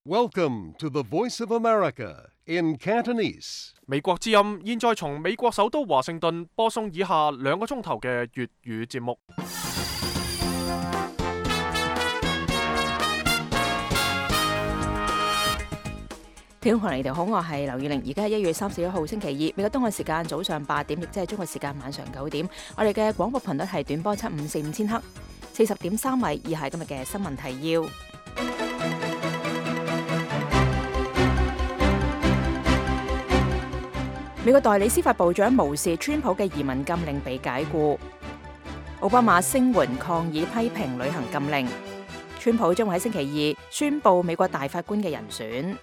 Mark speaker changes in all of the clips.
Speaker 1: Welcome to the Voice of America in Cantonese.
Speaker 2: 美國之音現在從美國首都華盛頓播送以下2個鐘頭嘅粵語節目。
Speaker 3: 聽眾朋友，你哋好，我係劉宇玲。而家係1月31號星期2，美國東岸時間早上8點，亦即係中國時間晚上9點。我哋嘅廣播頻率係短波7545000赫，40.3米。以下係今日嘅新聞提要。美國代理司法部長無視川普嘅移民禁令被解僱。奧巴馬聲援抗議批評旅行禁令。川普將會喺星期2宣布美國大法官嘅人選。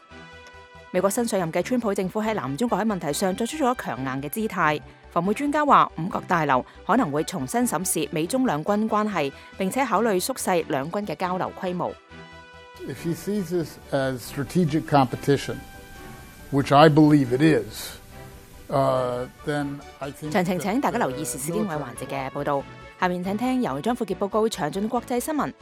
Speaker 3: 美國新上任嘅川普政府喺南中國海問題上作出咗強硬嘅姿態。防務專家話，五角大樓可能會重新審視美中兩軍關係，並且考慮縮細兩軍嘅交流規模。
Speaker 4: If he sees this as strategic competition, which I believe it is, then I think
Speaker 3: 詳情請大家留意時事經緯環節嘅報導。下面請聽由張富傑報告詳盡國際新聞。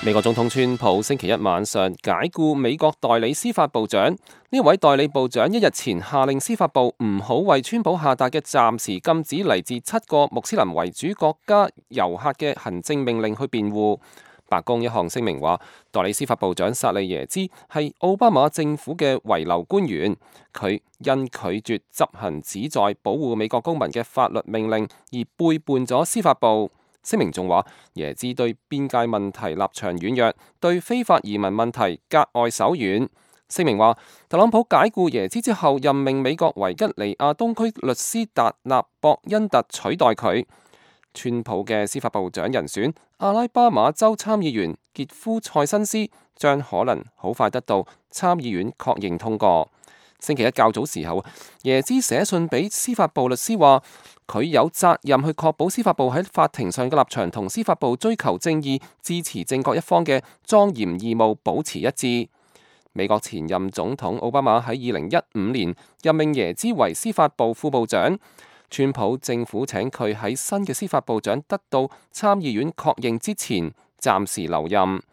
Speaker 5: 美國總統川普星期一晚上解僱美國代理司法部長。呢位代理部長1日前下令司法部唔好為川普下達嘅暫時禁止嚟自7個穆斯林為主國家遊客嘅行政命令去辯護。白宮一項聲明話，代理司法部長薩利耶茲係奧巴馬政府嘅遺留官員，佢因拒絕執行旨在保護美國公民嘅法律命令而背叛咗司法部。聲明仲話，耶茲對邊界問題立場軟弱，對非法移民問題格外手軟。聲明話，特朗普解僱耶茲之後，任命美國維吉尼亞東區律師達納博恩特取代佢。川普嘅司法部長人選阿拉巴馬州參議員傑夫塞辛斯將可能好快得到參議院確認通過。星期一較早時候，耶茲寫信俾司法部律師話，佢有責任去確保司法部喺法庭上嘅立場同司法部追求正義、支持正確一方嘅莊嚴義務保持一致。美國前任總統奧巴馬喺2015年任命耶茲為司法部副部長，川普政府請佢喺新嘅司法部長得到參議院確認之前暫時留任。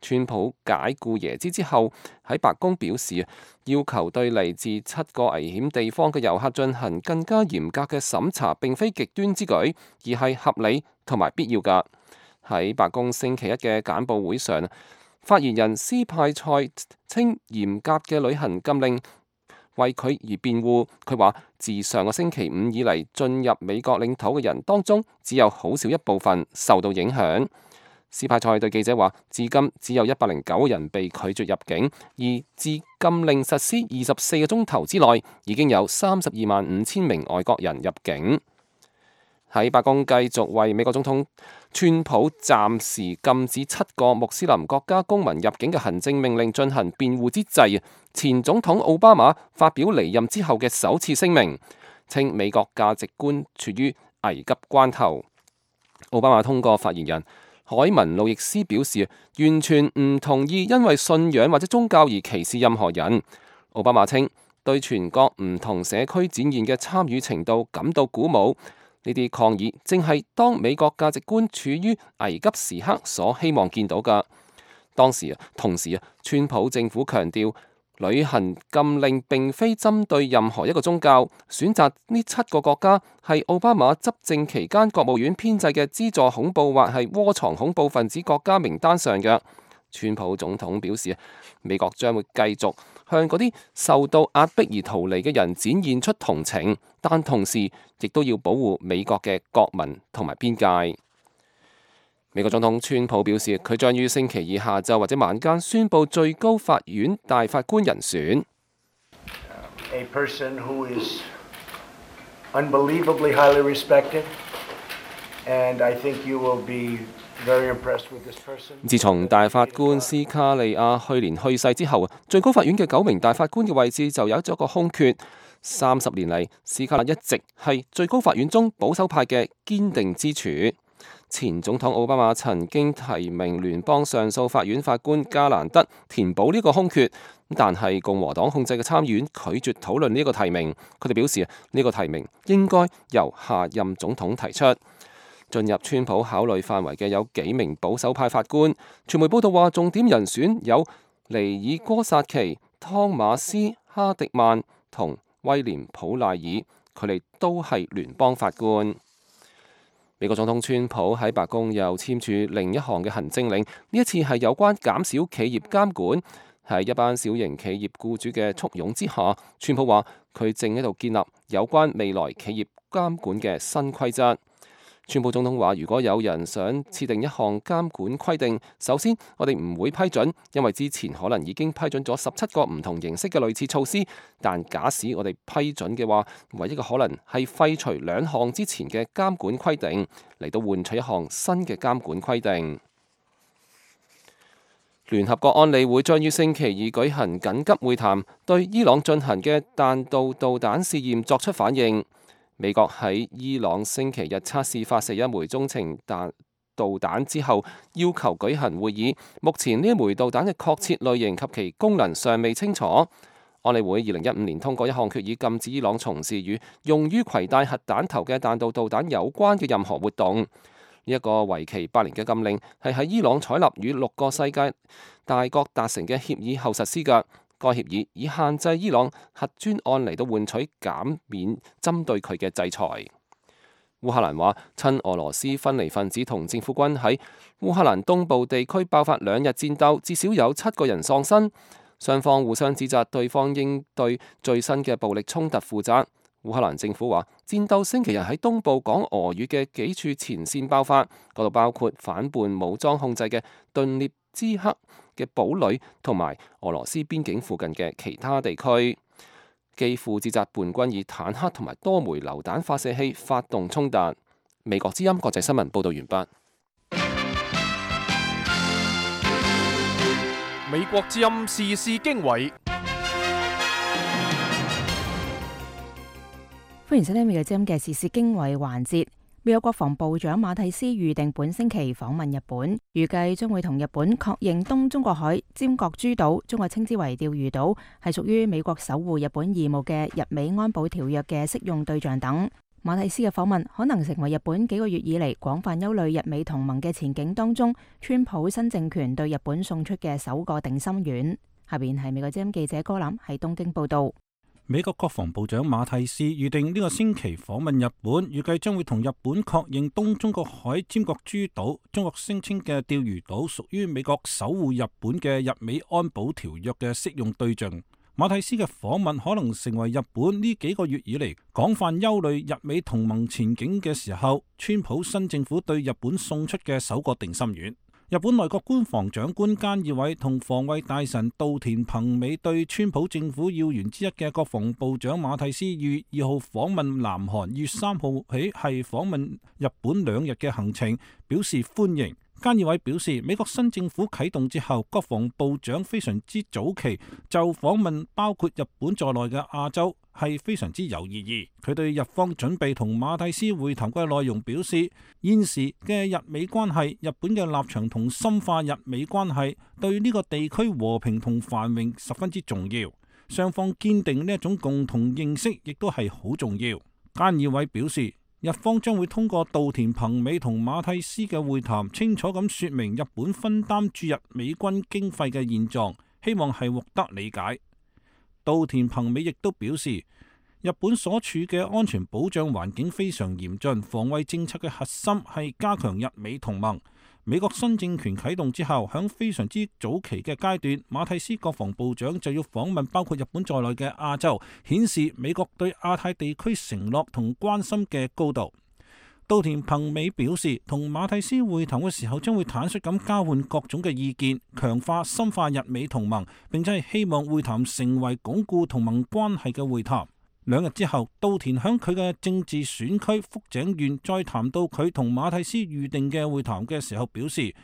Speaker 5: 川普解僱耶茲之後，喺白宮表示，要求對嚟自7個危險地方嘅遊客進行更加嚴格嘅審查，並非極端之舉，而係合理同埋必要㗎。喺白宮星期一嘅簡報會上，發言人斯派塞稱嚴格嘅旅行禁令為佢而辯護。佢話，自上個星期5以嚟進入美國領土嘅人當中，只有好少一部分受到影響。斯派塞對記者話，至今只有109人被拒絕入境，而自禁令實施24個鐘頭之內，已經有325000名外國人入境。喺白宮繼續為美國總統川普暫時禁止7個穆斯林國家公民入境嘅行政命令進行辯護之際，前總統奧巴馬發表離任之後嘅首次聲明，稱美國價值觀處於危急關頭。奧巴馬通過發言人海文路易斯表示，完全唔同意因為信仰或者宗教而歧視任何人。奧巴馬稱，對全國唔同社區展現嘅參與程度感到鼓舞。呢啲抗議正係當美國價值觀處於危急時刻所希望見到㗎。同時，川普政府強調，旅行禁令並非針對任何一個宗教，選擇呢7個國家係奧巴馬執政期間國務院編製嘅資助恐怖或係窩藏恐怖分子國家名單上嘅。川普總統表示，美國將會繼續向嗰啲受到壓迫而逃離嘅人展現出同情，但同時亦都要保護美國嘅國民同埋邊界。美國總統川普表示，佢將於星期2下晝或者晚間宣布最高法院大法官人選。
Speaker 6: A person who is unbelievably highly respected, and I think you will be very impressed with this person.
Speaker 5: 自從大法官斯卡利亞去年去世之後，最高法院嘅9名大法官嘅位置就有咗個空缺。30年嚟，斯卡利亞一直係最高法院中保守派嘅堅定支柱。前總統奧巴馬曾經提名聯邦上訴法院法官加蘭德填補呢個空缺，但係共和黨控制嘅參議院拒絕討論呢個提名。佢哋表示呢個提名應該由下任總統提出。進入川普考慮範圍嘅有幾名保守派法官。傳媒報道話，重點人選有尼爾戈薩奇、湯馬斯哈迪曼同威廉普賴爾，佢哋都係聯邦法官。美國總統川普喺白宮又簽署另一項嘅行政令，呢一次係有關減少企業監管。喺一班小型企業僱主嘅簇擁之下，川普話佢正喺度建立有關未來企業監管嘅新規則。川普總統話：如果有人想設定一項監管規定，首先我哋唔會批准，因為之前可能已經批准咗17個唔同形式嘅類似措施。但假使我哋批准嘅話，唯一嘅可能係廢除2項之前嘅監管規定，嚟到換取一項新嘅監管規定。聯合國安理會將於星期二舉行緊急會談，對伊朗進行嘅彈道導彈試驗作出反應。美國喺伊朗星期日測試發射一枚中程導彈之後，要求舉行會議。目前呢一枚導彈嘅確切類型及其功能尚未清楚。安理會2015年通過一項決議，禁止伊朗從事與用於攜帶核彈頭嘅彈道導彈有關嘅任何活動。呢一個為期8年嘅禁令係喺伊朗採納與6個世界大國達成嘅協議後實施嘅。該協議以限制伊朗核專案嚟到換取減免針對佢嘅制裁。烏克蘭話，親俄羅斯分離分子同政府軍喺烏克蘭東部地區爆發2日戰鬥，至少有7個人喪生。雙方互相指責對方應對最新嘅暴力衝突負責。烏克蘭政府話，戰鬥星期日喺東部講俄語嘅幾處前線爆發，嗰度包括反叛武裝控制嘅頓涅茨克嘅堡壘同埋俄羅斯邊境附近嘅其他地區。基輔指責叛軍以坦克同埋多枚榴彈發射器發動衝突。美國之音國際新聞報道完畢。
Speaker 2: 美國之音時事經緯，
Speaker 3: 歡迎收聽美國之音嘅時事經緯環節。美國國防部長馬蒂斯預定本星期訪問日本，預計將會同日本確認東中國海尖閣諸島，中國稱之為釣魚島，係屬於美國守護日本義務嘅日美安保條約嘅適用對象等。馬蒂斯嘅訪問可能成為日本幾個月以嚟廣泛憂慮日美同盟嘅前景當中，川普新政權對日本送出嘅首個定心丸。下邊係美國之音記者柯南喺東京報道。
Speaker 7: 美國國防部長馬蒂斯預定呢個星期訪問日本，預計將會同日本確認東中國海尖閣諸島，中國聲稱嘅釣魚島屬於美國守護日本嘅日美安保條約嘅適用對象。馬蒂斯嘅訪問可能成為日本呢幾個月以嚟廣泛憂慮日美同盟前景嘅時候，川普新政府對日本送出嘅首個定心丸。日本內閣官房長官菅義偉同防衛大臣稻田朋美對川普政府要員之一嘅國防部長馬蒂斯於2號訪問南韓，於3號起係訪問日本2日嘅行程表示歡迎。菅義偉表示，美國新政府啟動之後，國防部長非常之早期就訪問包括日本在內嘅亞洲係非常之有意義。佢對日方準備同馬蒂斯會談嘅內容表示，現時嘅日美關係，日本嘅立場同深化日美關係對呢個地區和平同繁榮十分之重要。雙方堅定呢一種共同認識，亦都係好重要。菅義偉表示，日方將會通過稻田朋美同馬蒂斯嘅會談，清楚咁說明日本分擔駐日美軍經費嘅現狀，希望係獲得理解。稻田朋美亦都表示，日本所處嘅安全保障環境非常嚴峻，防衛政策嘅核心係加強日美同盟。美國新政權啟動之後，響非常之早期嘅階段，馬蒂斯國防部長就要訪問包括日本在內嘅亞洲，顯示美國對亞太地區承諾同關心嘅高度。稻田朋美表示，同馬蒂斯會談嘅時候，將會坦率咁交換各種嘅意見，強化深化日美同盟，並且係希望會談成為鞏固同盟關係嘅會談。2日之後，稻田響佢嘅政治選區福井縣再談到佢同馬蒂斯預定嘅會談嘅時候，表示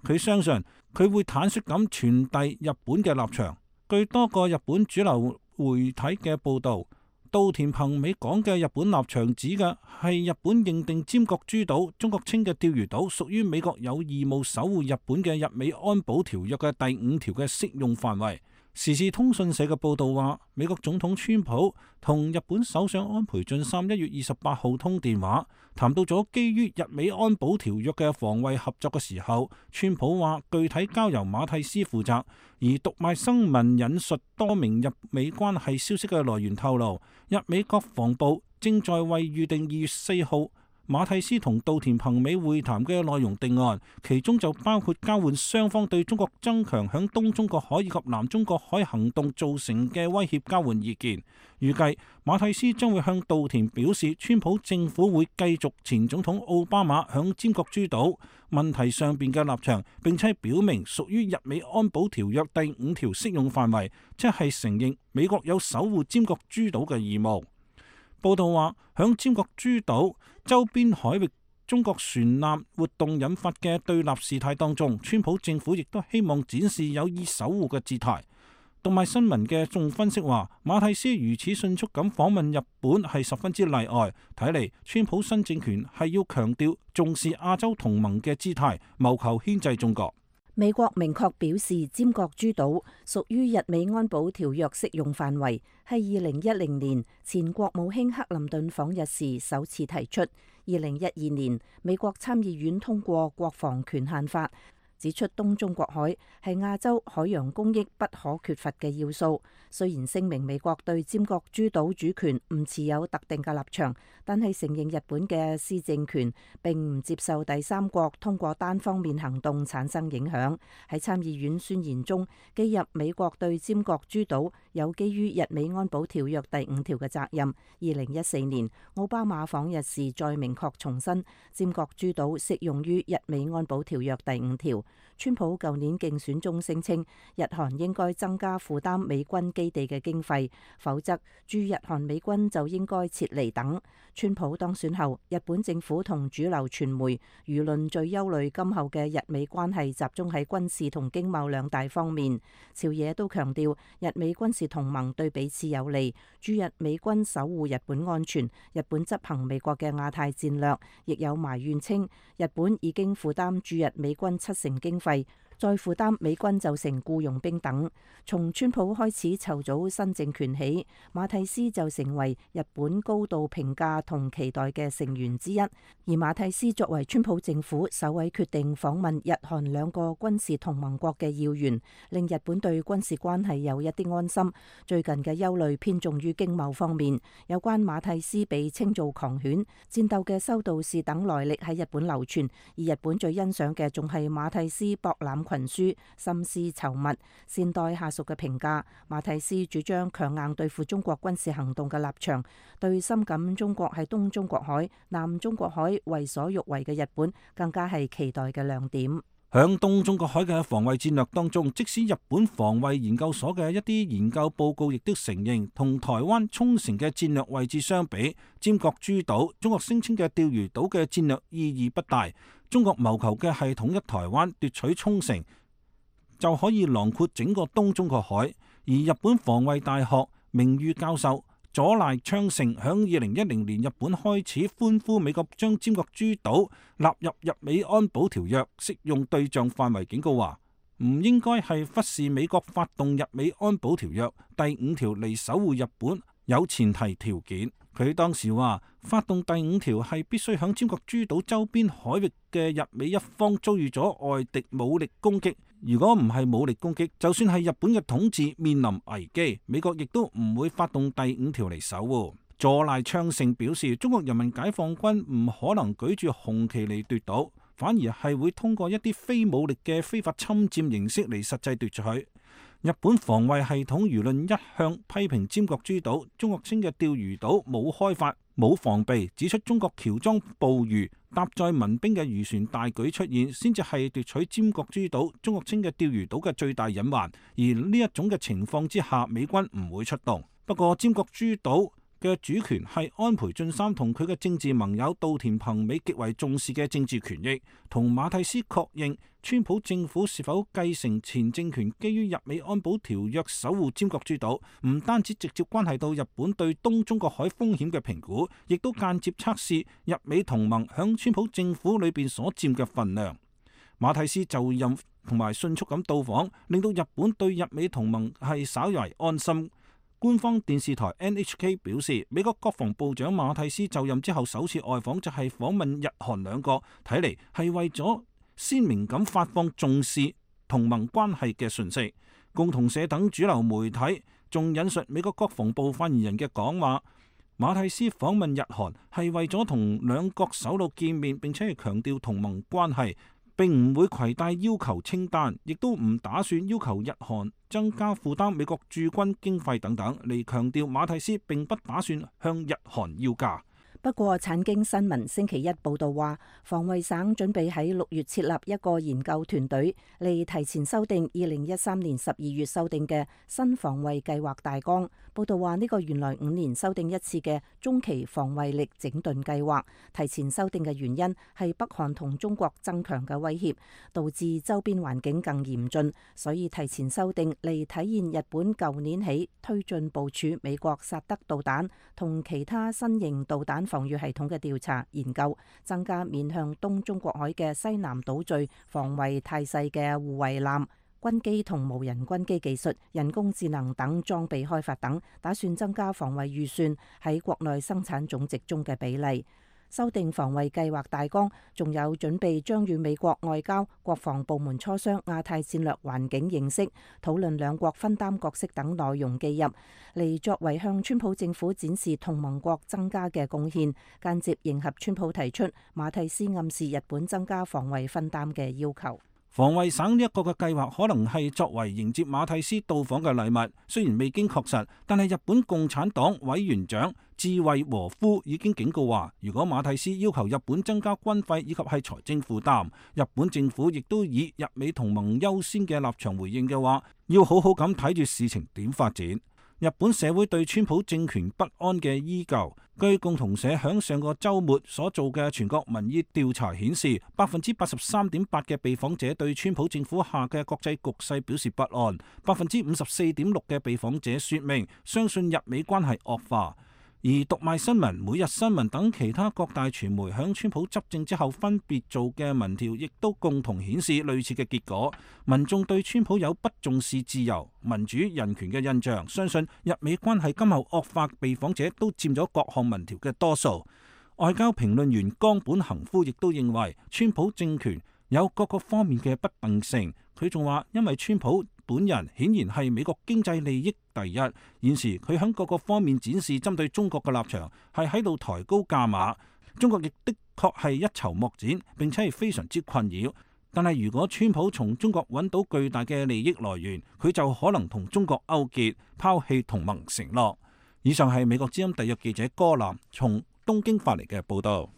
Speaker 7: 佢相信佢會坦率咁傳遞日本嘅立場。據多個日本主流媒體嘅報道，稻田朋美講嘅日本立場指嘅係日本認定尖閣諸島、中國稱嘅釣魚島屬於美國有義務守護日本嘅日美安保條約嘅第5條嘅適用範圍。時事通訊社嘅報道話，美國總統川普同日本首相安倍晉三1月28號通電話，談到咗基於日美安保條約嘅防衛合作嘅時候，川普話具體交由馬蒂斯負責。而讀賣新聞引述多名日美關係消息嘅來源透露，日美國防部正在為預定2月4號馬蒂斯同稻田朋美會談嘅內容定案，其中就包括交換雙方對中國增強響東中國海以及南中國海行動造成嘅威脅交換意見。預計馬蒂斯將會向稻田表示，川普政府會繼續前總統奧巴馬響尖閣諸島問題上邊嘅立場，並且表明屬於日美安保條約第5條適用範圍，即係承認美國有守護尖閣諸島嘅義務。報道話，響尖閣諸島周邊海域中國船艦活動引發嘅對立事態當中，川普政府亦都希望展示有意守護嘅姿態。讀賣新聞嘅眾分析話，馬蒂斯如此迅速咁訪問日本係十分之例外，睇嚟川普新政權係要強調重視亞洲同盟嘅姿態，謀求牽制中國。
Speaker 8: 美國明確表示，尖閣諸島屬於日美安保條約適用範圍，係2010年前國務卿克林頓訪日時首次提出。2012年，美國參議院通過國防權限法，指出東中國海係亞洲海洋公益不可缺乏嘅要素。雖然聲明美國對尖閣諸島主權唔持有特定嘅立場，但係承認日本嘅施政權，並唔接受第三國通過單方面行動產生影響。喺參議院宣言中記入美國對尖閣諸島有基於日美安保條約第5條嘅責任。2014年奧巴馬訪日時再明確重申，尖閣諸島適用於日美安保條約第5條。川普舊年競選中聲稱，日韓應該增加負擔美軍基地嘅經費，否則駐日韓美軍就應該撤離等。川普當選後，日本政府同主流傳媒輿論最憂慮今後嘅日美關係集中喺軍事同經貿兩大方面。朝野都強調日美軍事同盟對彼此有利，駐日美軍守護日本安全，日本執行美國嘅亞太戰略。亦有埋怨稱，日本已經負擔駐日美軍70%經費，再負擔美軍就成僱傭兵等。從川普開始籌組新政權起，馬蒂斯就成為日本高度評價同期待嘅成員之一。而馬蒂斯作為川普政府首位決定訪問日韓兩個軍事同盟國嘅要員，令日本對軍事關係有一啲安心。最近嘅憂慮偏重於經貿方面，有關馬蒂斯被稱做狂犬、戰鬥嘅修道士等來歷喺日本流傳，而日本最欣賞嘅仲係馬蒂斯博覽群書、心思稠密、善待下屬嘅評價。馬蒂斯主張強硬對付中國軍事行動嘅立場，對深感中國喺東中國海、南中國海為所欲為嘅日本更加係期待嘅亮點。
Speaker 7: 響東中國海嘅防衛戰略當中，即使日本防衛研究所嘅一啲研究報告亦都承認，同台灣沖繩嘅戰略位置相比，尖閣諸島中國聲稱嘅釣魚島嘅戰略意義不大。中國謀求嘅係統一台灣、奪取沖繩，就可以囊括整個東中國海。而日本防衛大學名譽教授佐賴昌盛響2010年日本開始歡呼美國將尖閣諸島納入日美安保條約適用對象範圍，警告話唔應該係忽視美國發動日美安保條約第5條嚟守護日本有前提條件。佢當時話，發動第5條係必須響尖閣諸島周邊海域嘅日美一方遭遇咗外敵武力攻擊。如果唔係武力攻擊，就算係日本嘅統治面臨危機，美國亦都唔會發動第5條嚟守護。佐賴昌盛表示，中國人民解放軍唔可能舉住紅旗嚟奪島，反而係會通過一啲非武力嘅非法侵佔形式嚟實際奪取。日本防衛系統輿論一向批評尖閣諸島，中國稱嘅釣魚島冇開發、冇防備，指出中國喬裝捕魚、搭載民兵嘅漁船大舉出現，先至係奪取尖閣諸島、中國稱嘅釣魚島嘅最大隱患。而呢一種嘅情況之下，美軍唔會出動。不過尖閣諸島嘅主權係安倍晉三同佢嘅政治盟友稻田朋美極為重視嘅政治權益。同馬蒂斯確認，川普政府是否繼承前政權基於日美安保條約守護尖閣諸島，唔單止直接關係到日本對東中國海風險嘅評估，亦都間接測試日美同盟響川普政府裏邊所佔嘅份量。馬蒂斯就任同埋迅速咁到訪，令到日本對日美同盟係稍為安心。官方電視台 NHK 表示，美國國防部長馬蒂斯就任之後首次外訪就係訪問日韓兩國，睇嚟係為咗鮮明咁發放重視同盟關係嘅訊息。共同社等主流媒體仲引述美國國防部發言人嘅講話，馬蒂斯訪問日韓係為咗同兩國首腦見面，並且係強調同盟關係，並唔會攜帶要求清單，亦都唔打算要求日韓增加負擔美國駐軍經費等等，嚟強調馬蒂斯並不打算向日韓要價。
Speaker 8: 不過，產經新聞星期一報導話，防衛省準備喺6月設立一個研究團隊，嚟提前修訂2013年12月修訂嘅新防衛計劃大綱。報導話，呢個原來5年修訂一次嘅中期防衛力整頓計劃，提前修訂嘅原因係北韓同中國增強嘅威脅，導致周邊環境更嚴峻，所以提前修訂嚟體現日本舊年起推進部署美國薩德導彈同其他新型導彈防禦系統嘅調查研究，增加面向東中國海嘅西南島嶼防衛態勢嘅護衛艦、軍機同無人軍機技術、人工智能等裝備開發等，打算增加防衛預算喺國內生產總值中嘅比例。修訂防衛計劃大綱，仲有準備將與美國外交、國防部門磋商亞太戰略環境認識，討論兩國分擔角色等內容記入，嚟作為向川普政府展示同盟國增加嘅貢獻，間接迎合川普提出馬蒂斯暗示日本增加防衛分擔嘅要求。
Speaker 7: 防衛省呢一個嘅計劃可能係作為迎接馬蒂斯到訪嘅禮物，雖然未經確實，但係日本共產黨委員長志惠和夫已經警告話，如果馬蒂斯要求日本增加軍費以及係財政負擔，日本政府亦都以日美同盟優先嘅立場回應嘅話，要好好咁睇住事情點發展。日本社會對川普政權不安嘅依舊。據共同社響上個週末所做嘅全國民意調查顯示，83.8%嘅被訪者對川普政府下嘅國際局勢表示不安，54.6%嘅被訪者說明相信日美關係惡化。而讀賣新聞、每日新聞等其他各大傳媒響川普執政之後分別做嘅民調，亦都共同顯示類似嘅結果。民眾對川普有不重視自由、民主、人權嘅印象，相信日美關係今後惡化，被訪者都佔咗各項民調嘅多數。外交評論員岡本恒夫亦都認為，川普政權有各個方面嘅不定性。佢仲話，因為川普本人顯然係美國經濟利益第一，現時佢喺各個方面展示針對中國嘅立場，係喺度抬高價碼。中國亦的確係一籌莫展，並且係非常之困擾。但係如果川普從中國揾到巨大嘅利益來源，佢就可能同中國勾結，拋棄同盟承諾。以上係美國之音特約記者柯南從東京發嚟嘅報道。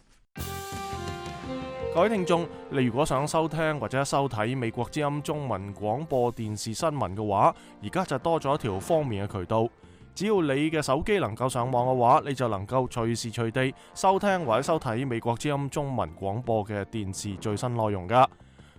Speaker 2: 各位聽眾，你如果想收聽或者收睇美國之音中文廣播電視新聞嘅話，而家就多咗一條方便嘅渠道。只要你嘅手機能夠上網嘅話，你就能夠隨時隨地收聽或者收睇美國之音中文廣播嘅電視最新內容噶。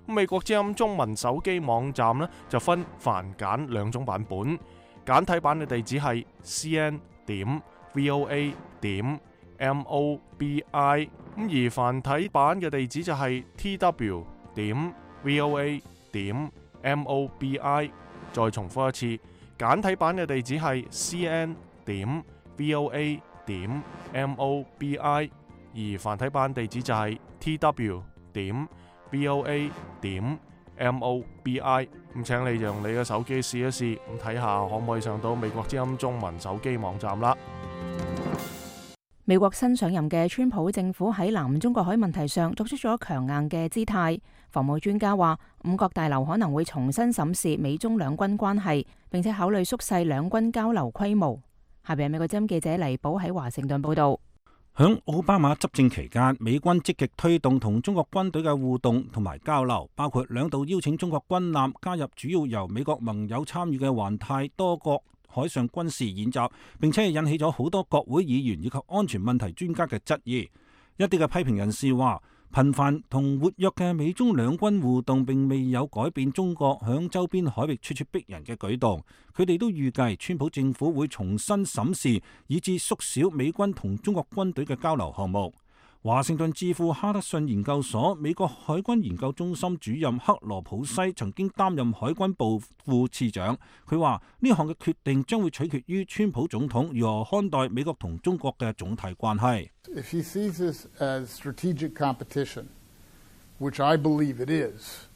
Speaker 2: 美國之音中文手機網站呢，就分繁簡兩種版本，簡體版嘅地址係 cn.voa.mobi， 而繁體版嘅地址就係 tw.voa.mobi。 再重複一次，簡體版嘅地址係 cn.voa.mobi， 而繁體版地址就係 tw.voa.mobi。 咁請你用你嘅手機試一試，咁睇下可唔可以上到美國之音中文手機網站啦。
Speaker 3: 美國新上任嘅川普政府喺南中國海問題上作出咗強硬嘅姿態。防務專家話，五角大樓可能會重新審視美中兩軍關係，並且考慮縮細兩軍交流規模。下邊係美國之音記者黎寶喺華盛頓報道。
Speaker 7: 響奧巴馬執政期間，美軍積極推動同中國軍隊嘅互動同埋交流，包括兩度邀請中國軍艦加入主要由美國盟友參與嘅環太多國海上軍事演習，並且引起咗好多國會議員以及安全問題專家嘅質疑。一啲嘅批評人士話，頻繁同活躍嘅美中兩軍互動並未有改變中國響周邊海域咄咄逼人嘅舉動。佢哋都預計川普政府會重新審視以至縮小美軍同中國軍隊嘅交流項目。華盛頓智庫哈德遜研究所美國海軍研究中心主任克羅普西曾經擔任海軍部副次長，佢話呢項嘅決定將會取決於川普總統如何看待美國同中國嘅總體關係。
Speaker 4: If he sees this as strategic competition, which I believe it is,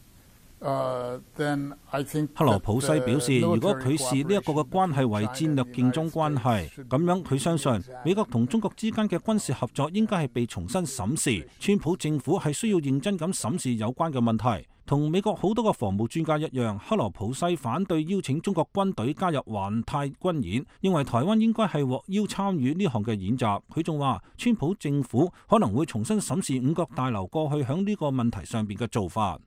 Speaker 4: then I think
Speaker 7: 克羅普西表示，如果佢視呢一個嘅關係為戰略競爭關係，咁樣佢相信美國同中國之間嘅軍事合作應該係被重新審視。川普政府係需要認真咁審視有關嘅問題。同美國好多個防務專家一樣，克羅普西反對邀請中國軍隊加入環太軍演，認為台灣應該係獲邀參與呢項嘅演習。佢仲話，川普政府可能會重新審視五角大樓過去響呢個問題上邊嘅做法。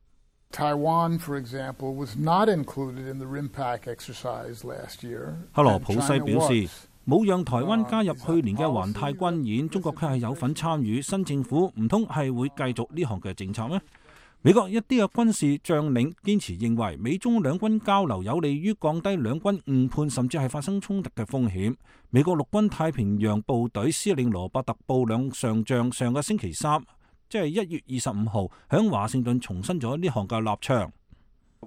Speaker 4: Taiwan, for example, was not included in the RIMPAC exercise last year.
Speaker 7: 克羅普西表示，冇讓台灣加入去年嘅環太軍演，中國卻係有份參與。新政府唔通係會繼續呢項嘅政策咩？美國一啲嘅軍事將領堅持認為，美中兩軍交流有利於降低兩軍誤判甚至係發生衝突嘅風險。美國陸軍太平洋部隊司令羅伯特布兩上將上個星期三，即係1月25號，響華盛頓重申咗呢項嘅立場。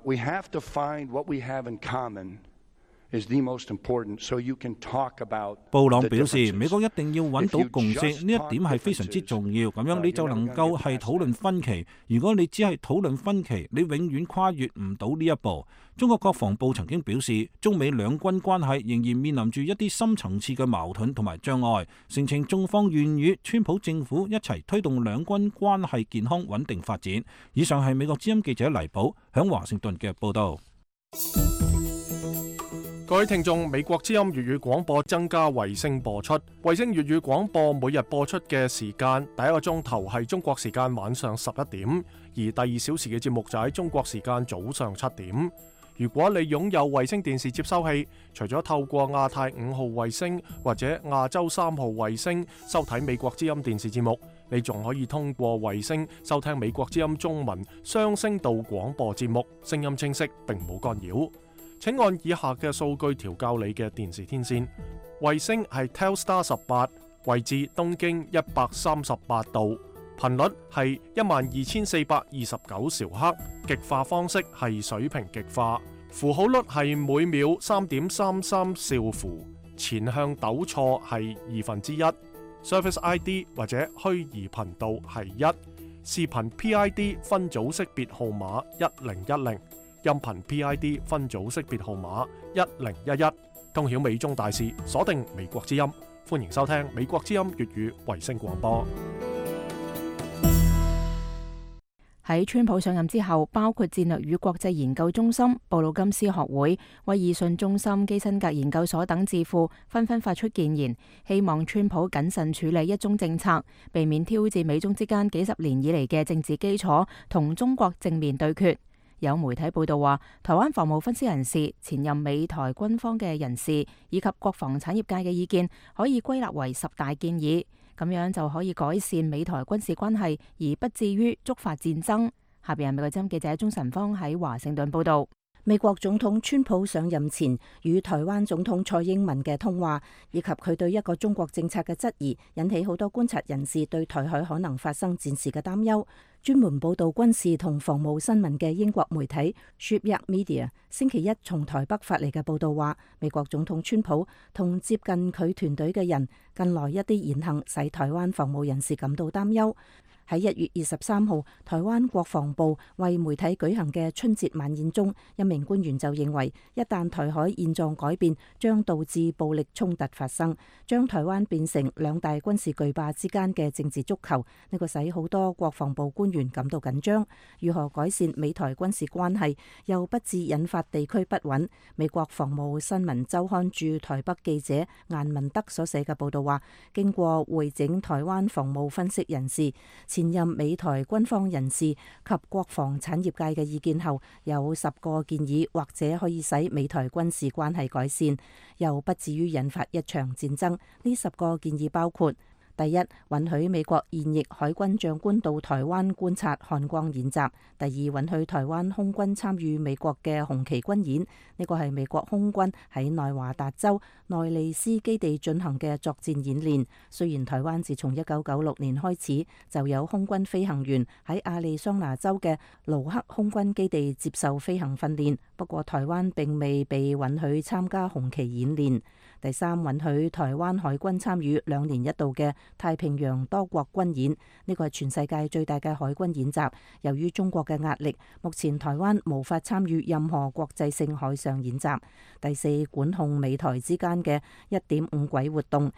Speaker 6: We have to find what we have in common is the most important, so you can talk about.
Speaker 7: 布朗表示，美國一定要揾到共識，呢一點係非常之重要。咁樣你就能夠係討論分歧。如果你只係討論分歧，你永遠跨越唔到呢一步。中國國防部曾經表示，中美兩軍關係仍然面臨住一啲深層次嘅矛盾同埋障礙，聲稱中方願與川普政府一齊推動兩軍關係健康穩定發展。以上係美國之音記者黎寶響華盛頓嘅報道。
Speaker 2: 各位聽眾，美國之音粵語廣播增加衛星播出。衛星粵語廣播每日播出嘅時間，第一個鐘頭係中國時間晚上11點，而第2小時嘅節目就喺中國時間早上7點。如果你擁有衛星電視接收器，除咗透過亞太5號衛星或者亞洲3號衛星收睇美國之音電視節目，你仲可以通過衛星收聽美國之音中文雙聲道廣播節目，聲音清晰並冇干擾。請按以下嘅數據調校你嘅電視天線。衛星係 Telstar 18，位置東經138度，頻率係12429兆赫，極化方式係水平極化，符號率係每秒3.33兆符，前向抖錯係1/2，Service ID 或者虛擬頻道係1，視頻 PID 分組識別號碼1010。音頻 PID 分組識別號碼1011，通曉美中大事，鎖定美國之音，歡迎收聽美國之音粵語衛星廣播。
Speaker 3: 喺川普上任之後，包括戰略與國際研究中心、布魯金斯學會、威爾遜中心、基辛格研究所等智庫紛紛發出建言，希望川普謹慎處理一中政策，避免挑戰美中之間幾十年以嚟嘅政治基礎，同中國正面對決。有媒體報道話，台灣防務分析人士、前任美台軍方嘅人士以及國防產業界嘅意見可以歸納為10大建議，咁樣就可以改善美台軍事關係，而不至於觸發戰爭。下邊係美國之音記者鍾晨芳喺華盛頓報道。
Speaker 8: 美國總統川普上任前與台灣總統蔡英文嘅通話，以及佢對一個中國政策嘅質疑，引起好多觀察人士對台海可能發生戰事嘅擔憂。專門報道軍事同防務新聞嘅英國媒體 Shipyard Media 星期一從台北發嚟嘅報道話，美國總統川普同接近佢團隊嘅人近來一啲言行使台灣防務人士感到擔憂。喺1月23號，台灣國防部為媒體舉行嘅春節晚宴中，一名官員就認為，一旦台海現狀改變，將導致暴力衝突發生，將台灣變成兩大軍事巨霸之間嘅政治足球。呢個使好多國防部官官員感到緊張。如何改善美台軍事關係，又不致引發地區不穩？美國防務新聞週刊駐台北記者顏文德所寫嘅報道話，經過會整台灣防務分析人士、前任美台軍方人士及國防產業界嘅意見後，有10個建議，或者可以使美台軍事關係改善，又不至於引發一場戰爭。呢10個建議包括：第一，允許美國現役海軍長官到台灣觀察漢光演習；第二，允許台灣空軍參與美國嘅紅旗軍演，呢個係美國空軍喺內華達州內利斯基地進行嘅作戰演練。雖然台灣自從1996年開始就有空軍飛行員喺亞利桑那州嘅盧克空軍基地接受飛行訓練，不過台灣並未被允許參加紅旗演練。第三，允許台灣海軍參與2年1度嘅太平洋多國軍演，呢個係全世界最大嘅海軍演習。由於中國嘅壓力，目前台灣無法參與任何國際性海上演習。第四，管控美台之間嘅1.5軌活動，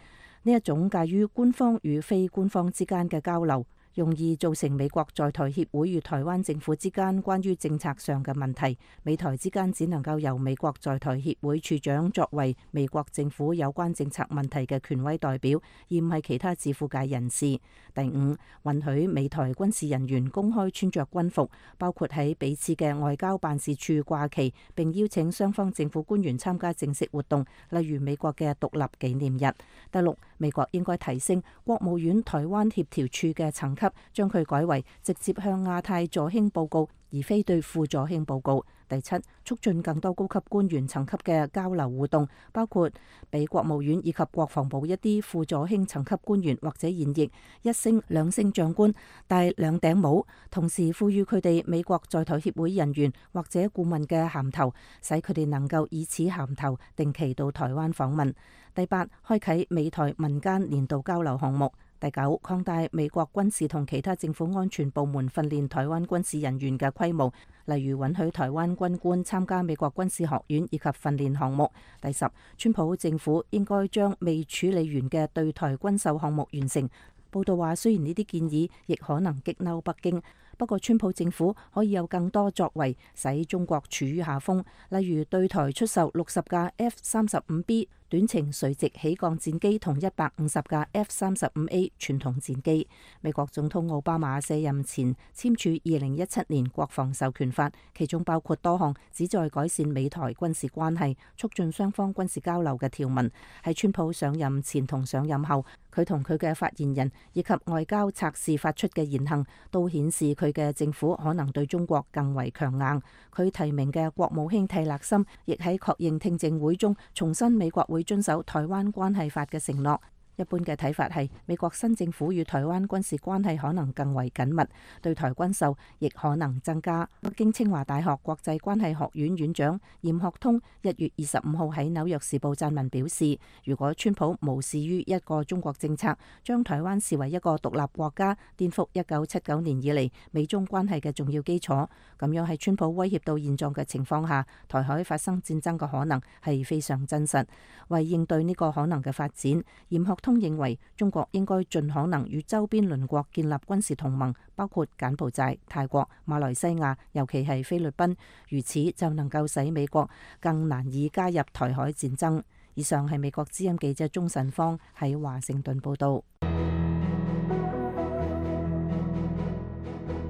Speaker 8: 呢一種介於官方與非官方之間嘅交流，容易造成美國在台協會與台灣政府之間關於政策上嘅問題。美台之間只能夠由美國在台協會處長作為美國政府有關政策問題嘅權威代表，而唔係其他自負界人士。第五，允許美台軍事人員公開穿着軍服，包括喺彼此嘅外交辦事處掛旗，並邀請雙方政府官員參加正式活動，例如美國嘅獨立紀念日。第六，美國應該提升國務院台灣協調處嘅層級，將佢改為直接向亞太助卿報告，而非對副助卿報告。第七，促進更多高級官員層級嘅交流互動，包括俾國務院以及國防部一啲副助卿層級官員或者現役1星、2星長官戴2頂帽，同時賦予佢哋美國在台協會人員或者顧問嘅銜頭，使佢哋能夠以此銜頭定期到台灣訪問。第八，開啟美台民間年度交流項目。第九，擴大美國軍事同其他政府安全部門訓練台灣軍事人員嘅規模，例如允許台灣軍官參加美國軍事學院以及訓練項目。第十，川普政府應該將未處理完嘅對台軍售項目完成。報道話，雖然呢啲建議亦可能激嬲北京，不過川普政府可以有更多作為，使中國處於下風，例如對台出售60架 F-35B 短程垂直起降戰機同150架 F-35A 傳統戰機。美國總統奧巴馬卸任前簽署2017年國防授權法，其中包括多項旨在改善美台軍事關係、促進雙方軍事交流嘅條文。喺川普上任前同上任後，佢同佢嘅發言人以及外交策士發出嘅言行，都顯示佢嘅政府可能對中國更為強硬。佢提名嘅國務卿蒂勒森亦喺確認聽證會中重申美國會遵守台灣關係法嘅承諾。一般嘅睇法係，美國新政府與台灣軍事關係可能更為緊密，對台軍售亦可能增加。北京清華大學國際關係學院院長嚴學通1月25號喺紐約時報撰文表示，如果川普無視於一個中國政策，將台灣視為一個獨立國家，顛覆1979年以嚟美中關係嘅重要基礎，咁樣喺川普威脅到現狀嘅情況下，台海發生戰爭嘅可能係非常真實。為應對呢個可能嘅發展，嚴學通認為中國應該盡可能與周邊鄰國建立軍事同盟，包括柬埔寨、泰國、馬來西亞，尤其係菲律賓，如此就能夠使美國更難以加入台海戰爭。以上係美國之音記者鍾晨芳喺華盛頓報道。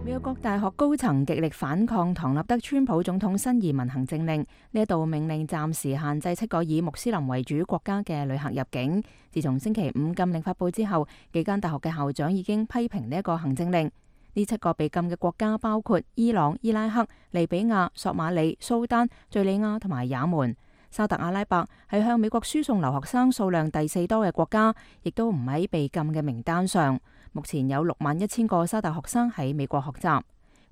Speaker 3: 美國各大學高層極力反抗唐納德川普總統新移民行政令，呢一道命令暫時限制7個以穆斯林為主國家嘅旅客入境。自從星期5禁令發佈之後，幾間大學嘅校長已經批評呢一個行政令。呢7個被禁嘅國家包括伊朗、伊拉克、利比亞、索馬里、蘇丹、敘利亞同埋也門。沙特阿拉伯係向美國輸送留學生數量第4多嘅國家，亦都唔喺被禁嘅名單上。目前有61000個沙特學生喺美國學習。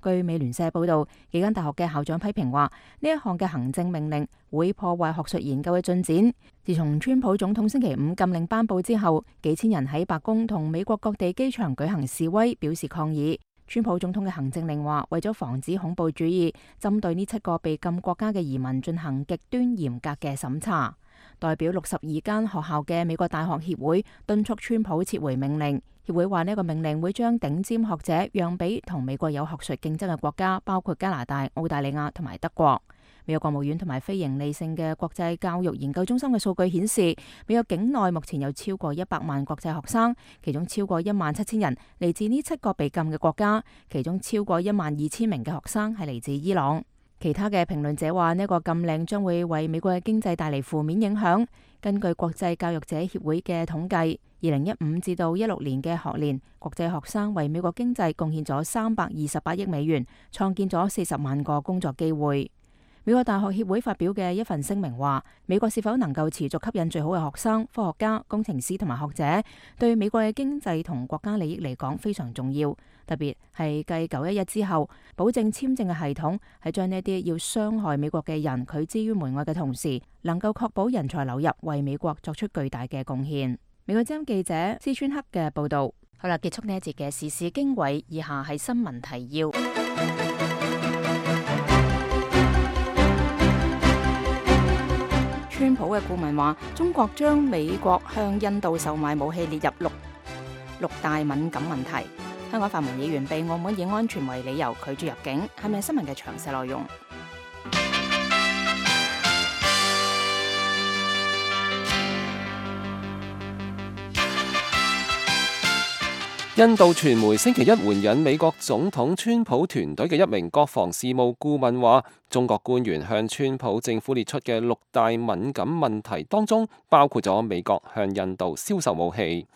Speaker 3: 據美聯社報道，幾間大學嘅校長批評話，呢一項嘅行政命令會破壞學術研究嘅進展。自從川普總統星期5禁令頒布之後，幾千人喺白宮同美國各地機場舉行示威，表示抗議。川普總統嘅行政令話，為咗防止恐怖主義，針對呢7個被禁國家嘅移民進行極端嚴格嘅審查。代表62間學校嘅美國大學協會敦促川普撤回命令，協會話呢個命令會將頂尖學者讓俾同美國有學術競爭嘅國家，包括加拿大、澳大利亞同埋德國。美國國務院同埋非營利性嘅國際教育研究中心嘅數據顯示，美國境內目前有超過100萬國際學生，其中超過17000人嚟自呢7個被禁嘅國家，其中超過12000名嘅學生係嚟自伊朗。其他嘅評論者話呢個禁令將會為美國嘅經濟帶嚟負面影響。根據國際教育者協會嘅統計，2015至到16年嘅學年，國際學生為美國經濟貢獻咗328億美元，創建咗40萬個工作機會。美國大學協會發表嘅一份聲明話，美國是否能夠持續吸引最好嘅學生、科學家、工程師同埋學者，對美國嘅經濟同國家利益嚟講非常重要。特別係繼911之後，保證簽證嘅系統係將呢啲要傷害美國嘅人拒之於門外嘅同時，能夠確保人才流入，為美國作出巨大嘅貢獻。美國之音記者施川克嘅報道。好啦，結束呢一節嘅時事經緯，以下係新聞提要。川普嘅顧問話，中國將美國向印度售賣武器列入六大敏感問題。香港泛民議員被澳門以安全為理由拒絕入境，係咪新聞嘅詳細內容？
Speaker 5: 印度傳媒星期一援引美國總統川普團隊嘅一名國防事務顧問話，中國官員向川普政府列出嘅6大敏感問題當中，包括咗美國向印度銷售武器。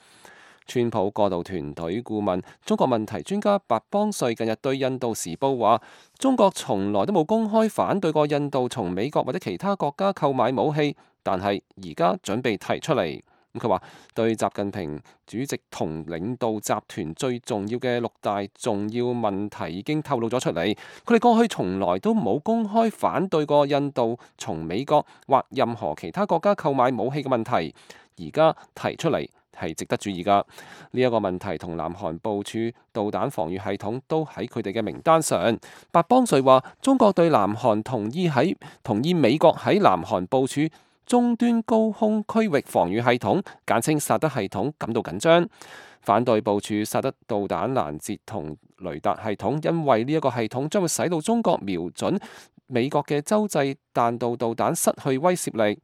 Speaker 5: 川普過渡團隊顧問、中國問題專家白邦瑞近日對印度時報話，中國從來都冇公開反對過印度從美國或者其他國家購買武器，但係而家準備提出嚟。佢話對習近平主席同領導集團最重要嘅6大重要問題已經透露咗出嚟。佢哋過去從來都冇公開反對過印度從美國或任何其他國家購買武器嘅問題，而家提出嚟係值得注意㗎。呢一個問題同南韓部署導彈防禦系統都喺佢哋嘅名單上。白邦瑞話中國對南韓同意美國喺南韓部署終端高空區域防禦系統，簡稱薩德系統感到緊張，反對部署薩德導彈攔截同雷達系統，因為呢一個系統將會使到中國瞄準美國嘅洲際彈道導彈失去威懾力。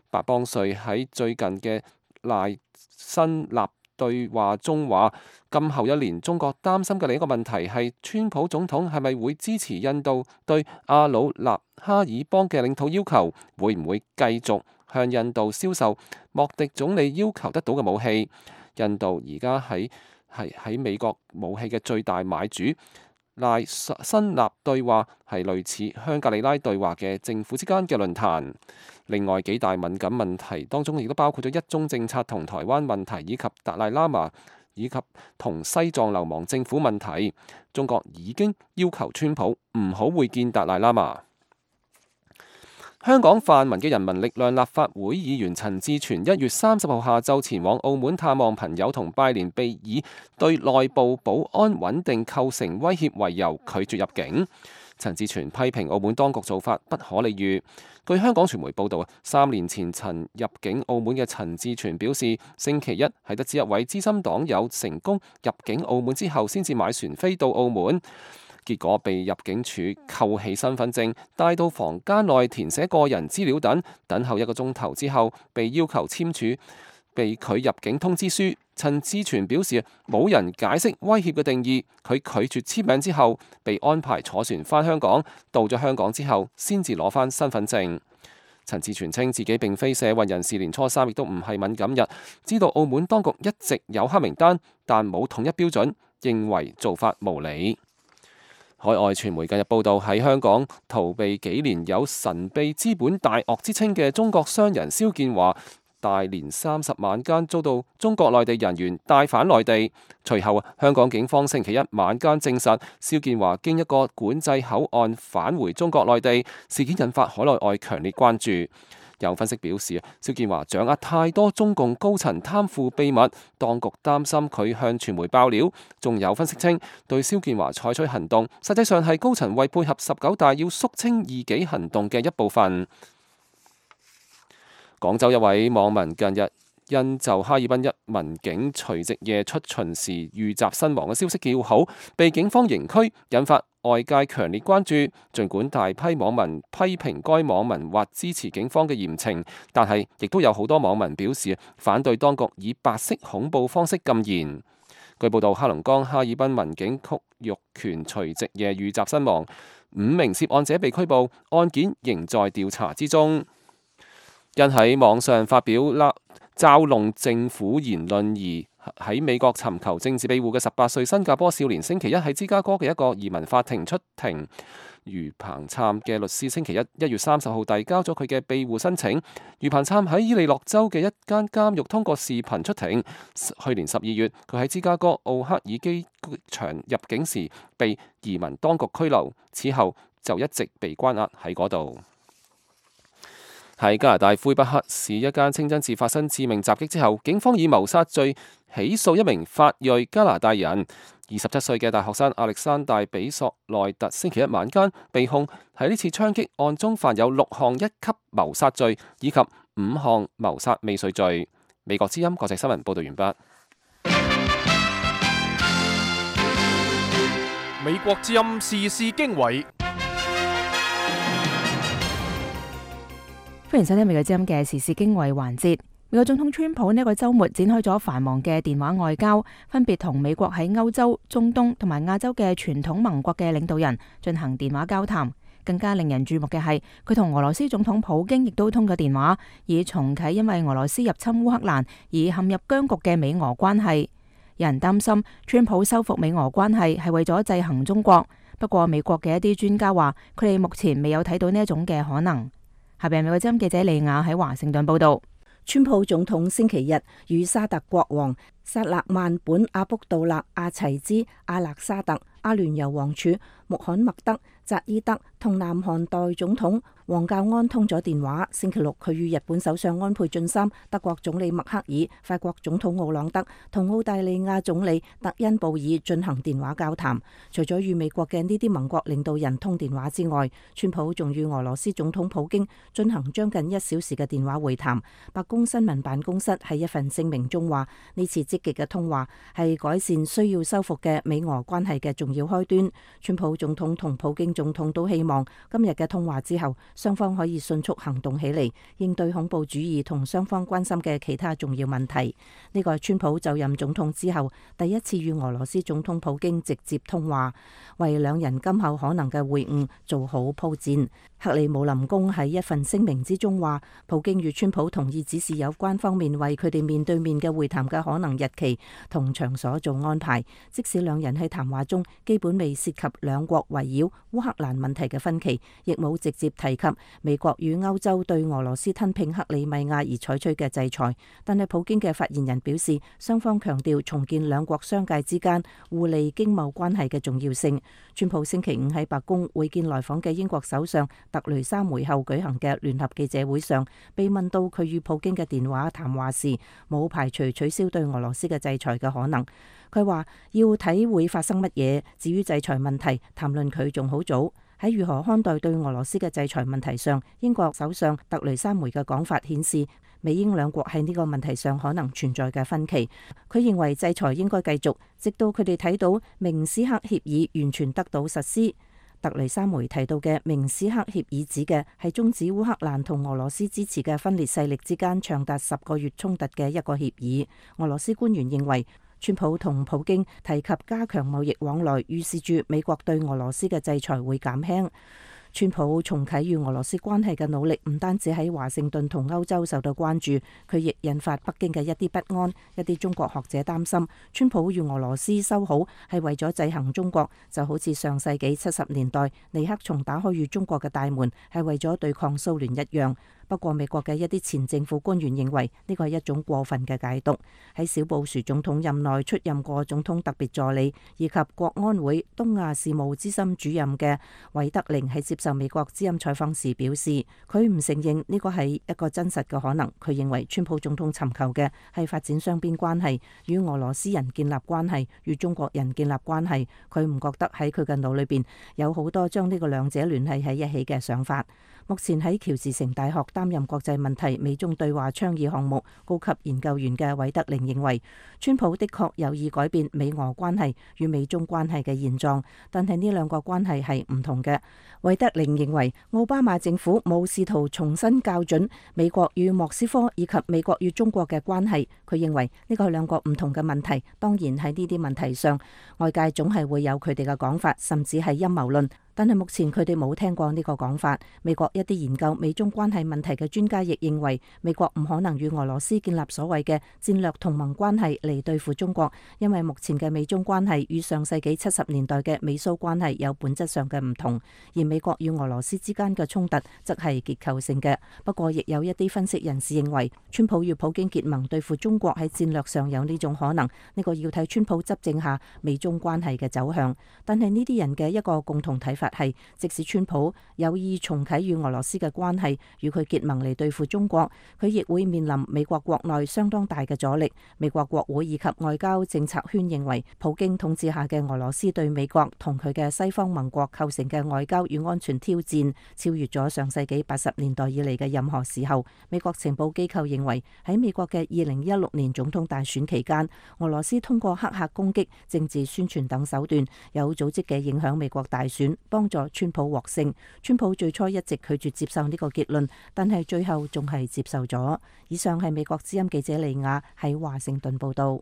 Speaker 5: 白邦瑞喺最近嘅賴辛納對話中話，今後1年中國擔心嘅另一個問題係川普總統係咪會支持印度對阿魯納哈爾邦嘅領土要求，會唔會繼續向印度銷售莫迪總理要求得到嘅武器。印度而家喺美國武器嘅最大買主。賴辛納對話係類似香格里拉對話嘅政府之間嘅論壇。另外幾大敏感問題當中亦都包括咗一中政策同台灣問題，以及達賴喇嘛以及同西藏流亡政府問題。中國已經要求川普唔好會見達賴喇嘛。香港泛民嘅人民力量立法會議員陳志全1月30號下晝前往澳門探望朋友同拜年，被以對內部保安穩定構成威脅為由拒絕入境。陳志全批評澳門當局做法不可理喻。據香港傳媒報導，3年前曾入境澳門嘅陳志全表示，星期一係得知一位資深黨友成功入境澳門之後，先至買船飛到澳門。結果被入境處扣起身份證，帶到房間內填寫個人資料等候1個鐘頭之後，被要求簽署被拒入境通知書。陳志全表示冇人解釋威脅嘅定義，佢拒絕簽名之後，被安排坐船返香港，到咗香港之後先至攞返身份證。陳志全稱自己並非社運人士，年初3亦都唔係敏感日，知道澳門當局一直有黑名單，但冇統一標準，認為做法無理。海外傳媒近日報道，喺香港逃避幾年有神秘資本大鱷之稱嘅中國商人蕭建華，大年30晚間遭到中國內地人員帶返內地。隨後，香港警方星期一晚間證實，蕭建華經一個管制口岸返回中國內地。事件引發海內外強烈關注。有分析表示，蕭建華掌握太多中共高層貪腐秘密，當局擔心佢向傳媒爆料。仲有分析稱，對蕭建華採取行動，實際上係高層為配合19大要肅清異己行動嘅一部分。廣州一位網民近日因就哈爾濱一民警除夕夜出巡時遇襲身亡嘅消息叫好，被警方刑拘，引發外界強烈關注。儘管大批網民批評該網民或支持警方嘅嚴懲，但係亦都有好多網民表示反對當局以白色恐怖方式禁言。據報道，黑龍江哈爾濱民警曲玉權除夕夜遇襲身亡，5名涉案者被拘捕，案件仍在調查之中。因喺網上發表嘲弄政府言論而喺美國尋求政治庇護嘅18歲新加坡少年，星期一喺芝加哥嘅一個移民法庭出庭。余彭琛嘅律師星期1月30號遞交咗佢嘅庇護申請。余彭琛喺伊利諾州嘅一間監獄通過視頻出庭。去年12月，佢喺芝加哥奧克爾機場入境時被移民當局拘留，此後就一直被關押喺嗰度。喺加拿大魁北克市一間清真寺發生致命襲擊之後，警方以謀殺罪起訴一名法裔加拿大人。27歲嘅大學生亞歷山大比索內特星期一晚間被控喺呢次槍擊案中犯有6項一級謀殺罪以及5項謀殺未遂罪。美國之音國際新聞報道完畢。
Speaker 2: 美國之音時事經緯。
Speaker 3: 歡迎收聽美國之音嘅時事經緯環節。美國總統川普呢個週末展開咗繁忙嘅電話外交，分別同美國喺歐洲、中東同埋亞洲嘅傳統盟國嘅領導人進行電話交談。更加令人注目嘅係，佢同俄羅斯總統普京亦都通過電話，以重啟因為俄羅斯入侵烏克蘭而陷入僵局嘅美俄關係。有人擔心川普修復美俄關係係為咗制衡中國，不過美國嘅一啲專家話，佢哋目前未有睇到呢一種嘅可能。下邊美國之音記者利亞喺華盛頓報道。
Speaker 8: 川普總統星期日與沙特國王薩勒曼本阿卜杜勒阿齊茲阿勒沙特、阿聯酋王儲穆罕默德扎伊德同南韓代總統王教安通咗電話。星期六，佢與日本首相安倍晉三、德國總理默克爾、法國總統奧朗德同澳大利亞總理特恩布爾進行電話交談。除咗與美國嘅呢啲盟國領導人通電話之外，川普仲與俄羅斯總統普京進行將近1小時嘅電話會談。白宮新聞辦公室喺一份聲明中話，呢次積極嘅通話係改善需要修復嘅美俄關係嘅重要開端。川普總統同普京總統都希望今日嘅通話之後，雙方可以迅速行動起嚟，應對恐怖主義同雙方關心嘅其他重要問題。呢個係川普就任總統之後第一次與俄羅斯總統普京直接通話，為兩人今後可能嘅會晤做好鋪墊。克里姆林宮喺一份聲明之中話，普京與川普同意指示有關方面為佢哋面對面嘅會談嘅可能日期同場所做安排，即使兩人喺談話中基本未涉及兩國圍繞烏克蘭問題嘅分歧，亦冇直接提及美國與歐洲對俄羅斯吞併克里米亞而採取嘅制裁。但係普京嘅發言人表示，雙方強調重建兩國商界之間互利經貿關係嘅重要性。川普星期5喺白宮會見來訪嘅英國首相特雷莎梅後舉行嘅聯合記者會上，被問到佢與普京嘅電話談話時，冇排除取消對俄羅斯嘅制裁嘅可能。佢話要睇會發生乜嘢，至於制裁問題，談論佢仲好早。喺如何看待對俄羅斯嘅制裁問題上，英國首相特雷莎梅嘅講法顯示，美英兩國喺呢個問題上可能存在嘅分歧。佢認為制裁應該繼續，直到佢哋睇到明斯克協議完全得到實施。特雷莎梅提到嘅明斯克協議指嘅係終止烏克蘭同俄羅斯支持嘅分裂勢力之間長達10個月衝突嘅一個協議。俄羅斯官員認為，川普同普京提及加強貿易往來，預示住美國對俄羅斯嘅制裁會減輕。川普重啟與俄羅斯關係嘅努力唔單止喺華盛頓同歐洲受到關注，佢亦引發北京嘅一啲不安。一啲中國學者擔心，川普與俄羅斯修好係為咗制衡中國，就好似上世紀70年代尼克松打開與中國嘅大門係為咗對抗蘇聯一樣。不過美國嘅一啲前政府官員認為呢個係一種過分嘅解讀。喺小布殊總統任內出任過總統特別助理以及國安會東亞事務資深主任嘅韋德寧喺接受美國之音採訪時表示，佢唔承認呢個係一個真實嘅可能。佢認為川普總統尋求嘅係發展雙邊關係，與俄羅斯人建立關係，與中國人建立關係。佢唔覺得喺佢嘅腦裏邊有好多將呢個兩者聯繫喺一起嘅想法。目前喺喬治城大學擔任國際問題美中對話倡議項目高級研究員嘅韋德寧認為，川普的確有意改變美俄關係與美中關係嘅現狀，但係呢兩個關係係唔同嘅。韋德寧認為，奧巴馬政府冇試圖重新校準美國與莫斯科以及美國與中國嘅關係。佢認為呢個係兩個唔同嘅問題。當然喺呢啲問題上，外界總係會有佢哋嘅講法，甚至係陰謀論。但係目前佢哋冇聽過呢個講法。美國一啲研究美中關係問題嘅專家亦認為，美國唔可能與俄羅斯建立所謂嘅戰略同盟關係嚟對付中國，因為目前嘅美中關係與上世紀70年代嘅美蘇關係有本質上嘅唔同，而美國與俄羅斯之間嘅衝突則係結構性嘅。不過，亦有一啲分析人士認為，川普與普京結盟對付中國喺戰略上有呢種可能，呢個要睇川普執政下美中關係嘅走向。但係呢啲人嘅一個共同睇法係，即使川普有意重啟與俄羅斯嘅關係，與佢結盟嚟對付中國，佢亦會面臨美國國內相當大嘅阻力。美國國會以及外交政策圈認為，普京統治下嘅俄羅斯對美國同佢嘅西方盟國構成嘅外交與安全挑戰，超越咗上世紀80年代以嚟嘅任何時候。美國情報機構認為，喺美國嘅2016年總統大選期間，俄羅斯通過黑客攻擊、政治宣傳等手段，有組織嘅影響美國大選，幫助川普獲勝。川普最初一直拒絕接受呢個結論，但係最後仲係接受咗。以上係美國之音記者利亞喺華盛頓報道。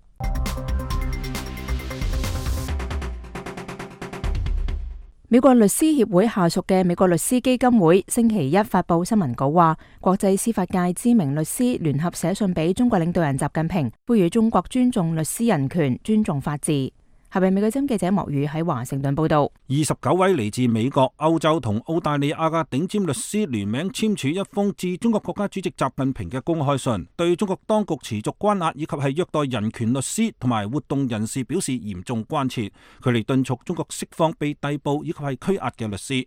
Speaker 3: 美國律師協會下屬嘅美國律師基金會星期一發佈新聞稿話，國際司法界知名律師聯合寫信俾中國領導人習近平，呼籲中國尊重律師人權、尊重法治。下邊美國之音記者莫宇喺華盛頓報道。
Speaker 7: 29位嚟自美國、歐洲同澳大利亞嘅頂尖律師聯名簽署一封致中國國家主席習近平嘅公開信，對中國當局持續關押以及係虐待人權律師同埋活動人士表示嚴重關切，佢哋敦促中國釋放被逮捕以及係拘押嘅律師。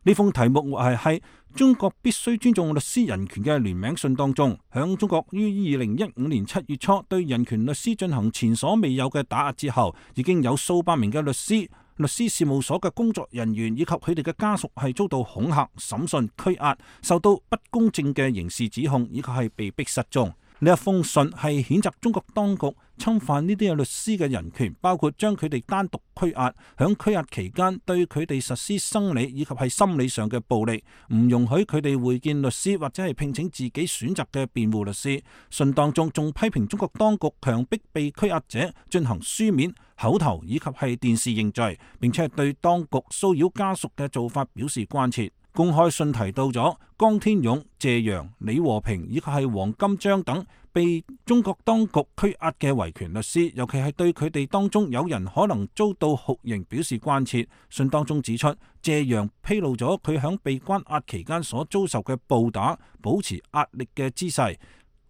Speaker 7: 呢封題目係中國必須尊重律師人權嘅聯名信當中，響中國於2015年7月初對人權律師進行前所未有嘅打壓之後，已經有數百名嘅律師事務所嘅工作人員以及佢哋嘅家屬係遭到恐嚇、審訊、拘押，受到不公正嘅刑事指控，以及係被逼失蹤。呢一封信係譴責中國當局侵犯呢啲嘅律師嘅人權，包括將佢哋單獨拘押，響拘押期間對佢哋實施生理以及係心理上嘅暴力，唔容許佢哋會見律師或者係聘請自己選擇嘅辯護律師。信當中仲批評中國當局強迫被拘押者進行書面、口頭以及係電視認罪，並且係對當局騷擾家屬嘅做法表示關切。公開信提到咗江天勇、謝陽、李和平以及係黃金章等被中國當局拘押嘅維權律師，尤其係對佢哋當中有人可能遭到酷刑表示關切。信當中指出，謝陽披露咗佢響被關押期間所遭受嘅暴打、保持壓力嘅姿勢、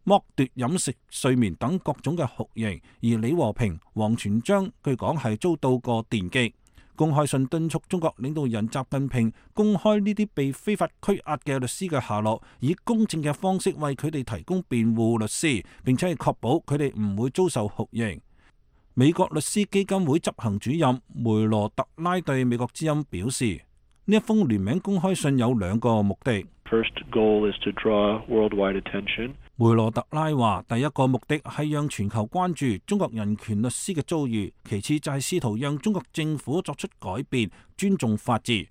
Speaker 7: 剝奪飲食、睡眠等各種嘅酷刑，而李和平、王全璋據講係遭到過電擊。公開信敦促中國領導人習近平公開呢啲被非法拘押嘅律師嘅下落，以公正嘅方式為佢哋提供辯護律師，並且係確保佢哋唔會遭受酷刑。美國律師基金會執行主任梅羅特拉對美國之音表示，呢一封聯名公開信有兩個目的。
Speaker 9: First goal is to draw worldwide attention.
Speaker 7: 梅羅特拉話，第一個目的係讓全球關注中國人權律師嘅遭遇，其次就係試圖讓中國政府作出改變，尊重法治。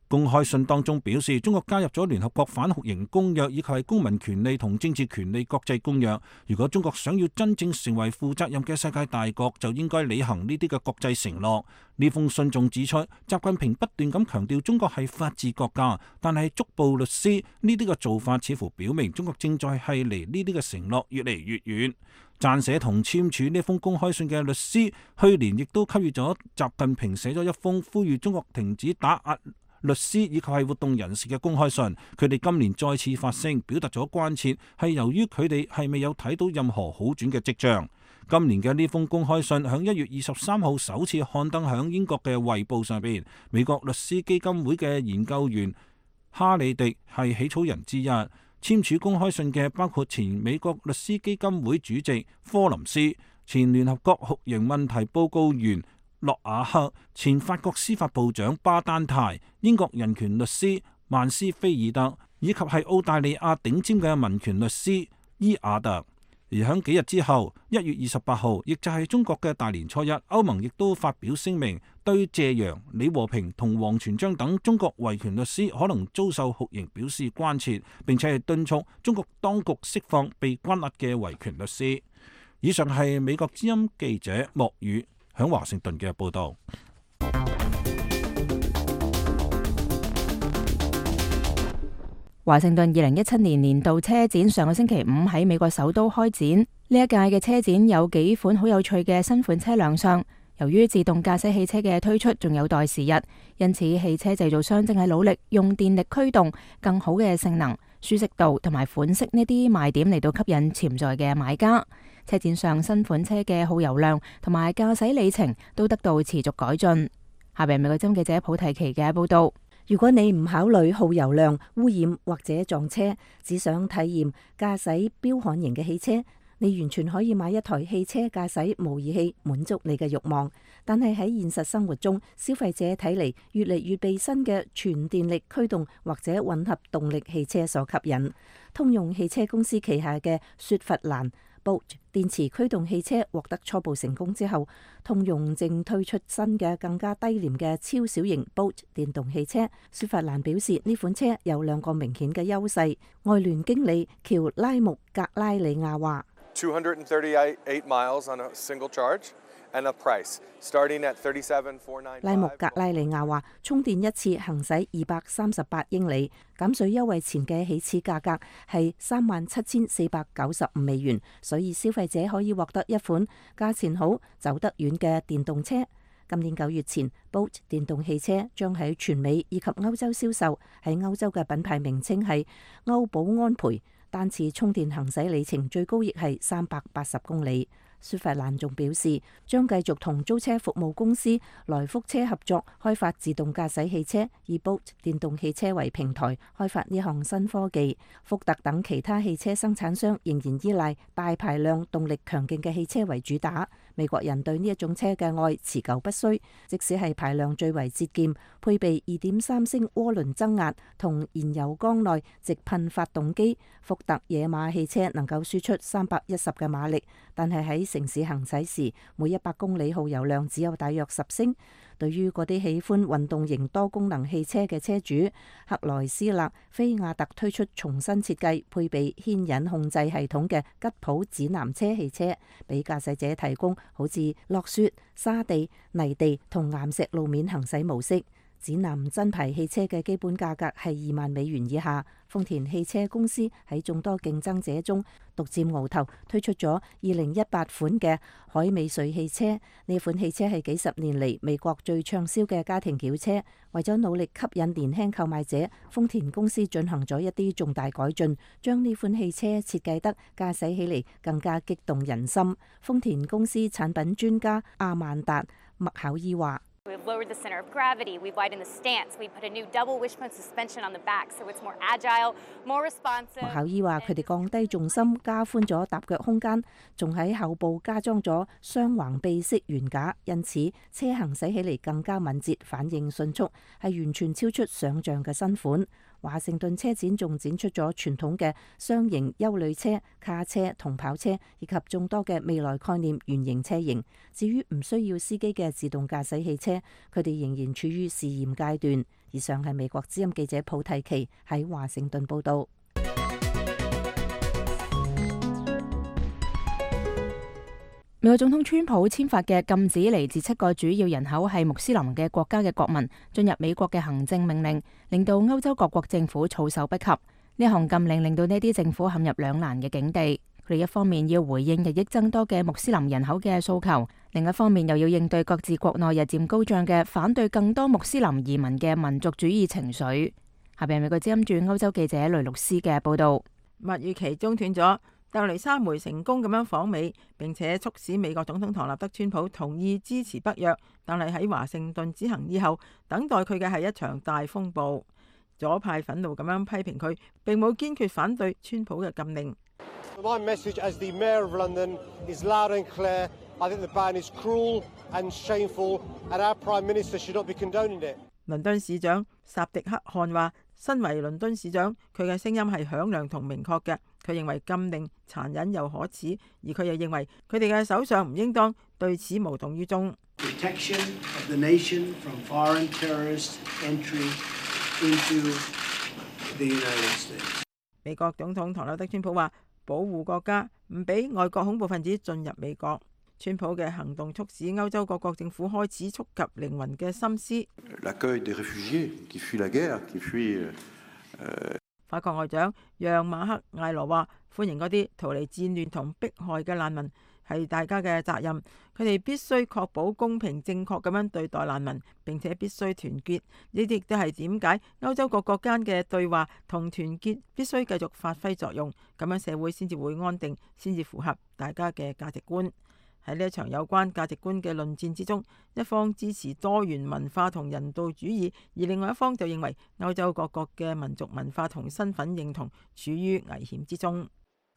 Speaker 7: 公開信當中表示，中國加入咗聯合國反酷刑公約以及係公民權利同政治權利國際公約。如果中國想要真正成為負責任嘅世界大國，就應該履行呢啲嘅國際承諾。呢封信仲指出，習近平不斷咁強調中國係法治國家，但係捉捕律師呢啲嘅做法似乎表明中國正在係離呢啲嘅承諾越嚟越遠。撰寫同簽署呢封公開信嘅律師，去年亦都給予咗習近平寫咗一封呼籲中國停止打壓律師以及係活動人士嘅公開信。佢哋今年再次發聲，表達咗關切，係由於佢哋係未有睇到任何好轉嘅跡象。今年嘅呢封公開信響1月23號首次刊登響英國嘅《衛報》上邊。美國律師基金會嘅研究員哈里迪係起草人之一。簽署公開信嘅包括前美國律師基金會主席科林斯、前聯合國酷刑問題報告員諾瓦克、前法國司法部長巴丹泰、英國人權律師曼斯菲爾德、以及係澳大利亞頂尖嘅民權律師伊亞特。而響幾日之後，1月28號，亦就係中國嘅大年初一，歐盟亦都發表聲明，對謝陽、李和平同王全璋等中國維權律師可能遭受酷刑表示關切，並且係敦促中國當局釋放被關押嘅維權律師。以上係美國之音記者莫宇響華盛頓嘅報導。
Speaker 3: 華盛頓2017年年度車展上個星期五喺美國首都開展。呢一屆嘅車展有幾款好有趣嘅新款車亮相。由於自動駕駛汽車嘅推出仲有待時日，因此汽車製造商正係努力用電力驅動更好嘅性能、舒適度同埋款式呢啲賣點嚟到吸引潛在嘅買家。車展上新款車嘅耗油量同埋駕駛里程都得到持續改進。下邊美國之音記者普提奇嘅報道。
Speaker 8: 如果你唔考慮耗油量、污染或者撞車，只想體驗駕駛彪悍型嘅汽車，你完全可以買一台汽車駕駛模擬器，滿足你嘅慾望。但係喺現實生活中，消費者睇嚟越嚟越被新嘅全電力驅動或者混合動力汽車所吸引。通用汽車公司旗下嘅雪佛蘭Bolt 電池驅動汽車獲得初步成功之後，通用正推出新嘅更加低廉嘅超小型 Bolt 電動汽車。雪佛蘭表示呢款車有2個明顯嘅優勢。外聯經理喬拉穆格拉里亞話
Speaker 10: 238 miles on a single charge and a price starting at $37,495。
Speaker 8: 拉穆格拉里亞話，充電一次行駛238英里，減稅優惠前嘅起始價格係37,495美元，所以消費者可以獲得一款價錢好、走得遠嘅電動車。今年9月前 ，Bolt 電動汽車將喺全美以及歐洲銷售，喺歐洲嘅品牌名稱係歐寶安培。單次充電行駛里程最高亦係380公里。雪佛蘭仲表示，將繼續同租車服務公司來福車合作，開發自動駕駛汽車，以 Bolt 電動汽車為平台，開發呢項新科技。福特等其他汽車生產商仍然依賴大排量、動力強勁嘅汽車為主打。美國人對呢一種車嘅愛持久不衰，即使係排量最為節儉，配備2.3升渦輪增壓同燃油缸內直噴發動機，福特野馬汽車能夠輸出310嘅馬力，但係喺城市行駛時，每100公里耗油量只有大約10升。對於嗰啲喜歡運動型多功能汽車嘅車主，克萊斯勒菲亞特推出重新設計、配備牽引控制系統嘅吉普指南車汽車，俾駕駛者提供好似落雪、沙地、泥地同岩石路面行駛模式。指南真牌汽車嘅基本價格係2萬美元以下。豐田汽車公司喺眾多競爭者中獨佔鰲頭，推出咗2018款嘅海美瑞汽車。呢款汽車係幾十年嚟美國最暢銷嘅家庭轎車。為咗努力吸引年輕購買者，豐田公司進行咗一啲重大改進，將呢款汽車設計得駕駛起嚟更加激動人心。豐田公司產品專家阿曼達麥考伊話
Speaker 11: We've lowered the center of gravity, we've widened the stance, we put a new double wishbone suspension on the back so it's more agile, more responsive。
Speaker 8: 麥考伊話佢哋降低重心，加寬咗踏腳空間，仲喺後部加裝咗雙橫臂式懸架，因此車行駛起嚟更加敏捷，反應迅速，係完全超出想像嘅新款。華盛頓車展仲展出咗傳統嘅雙型休旅車、卡車同跑車，以及眾多嘅未來概念原型車型。至於唔需要司機嘅自動駕駛汽車，佢哋仍然處於試驗階段。以上係美國之音記者普提奇喺華盛頓報導。
Speaker 3: 美國總統川普簽發嘅禁止嚟自7個主要人口係穆斯林嘅國家嘅國民進入美國嘅行政命令，令到歐洲各國政府措手不及。呢項禁令令到呢啲政府陷入兩難嘅境地。佢哋一方面要回應日益增多嘅穆斯林人口嘅訴求，另一方面又要應對各自國內日漸高漲嘅反對更多穆斯林移民嘅民族主義情緒。下邊係美國之音駐歐洲記者雷律斯嘅報道。
Speaker 12: 蜜月期中斷咗。特蕾莎梅成功咁樣訪美，並且促使美國總統唐納德川普同意支持北約，但係喺華盛頓之行以後，等待佢嘅係一場大風暴。左派憤怒咁樣批評佢，並冇堅決反對川普嘅禁令。
Speaker 13: My message as the Mayor of London is loud and clear. I think the ban is cruel and shameful, and our Prime Minister should not be condoning it.
Speaker 12: 倫敦市長薩迪克汗話：身為倫敦市長，佢嘅聲音係響亮同明確嘅。佢認為禁令殘忍又可恥，而佢又認為佢哋嘅首相唔應當對此無動於衷。
Speaker 14: Protection of the nation from foreign terrorist entry into the United States.
Speaker 12: 美國總統唐納德·川普話：保護國家，唔俾外國恐怖分子進入美國。川普嘅行動促使歐洲各國政府開始觸及靈魂嘅心思。法國外長讓馬克艾羅話：歡迎嗰啲逃離戰亂同迫害嘅難民，係大家嘅責任。佢哋必須確保公平正確咁樣對待難民，並且必須團結。呢啲亦都係點解歐洲各國間嘅對話同團結必須繼續發揮作用，咁樣社會先至會安定，先至符合大家嘅價值觀。喺呢一場有關價值觀嘅論戰之中，一方支持多元文化同人道主義，而另外一方就認為歐洲各國嘅民族文化同身份認同處於危險之中。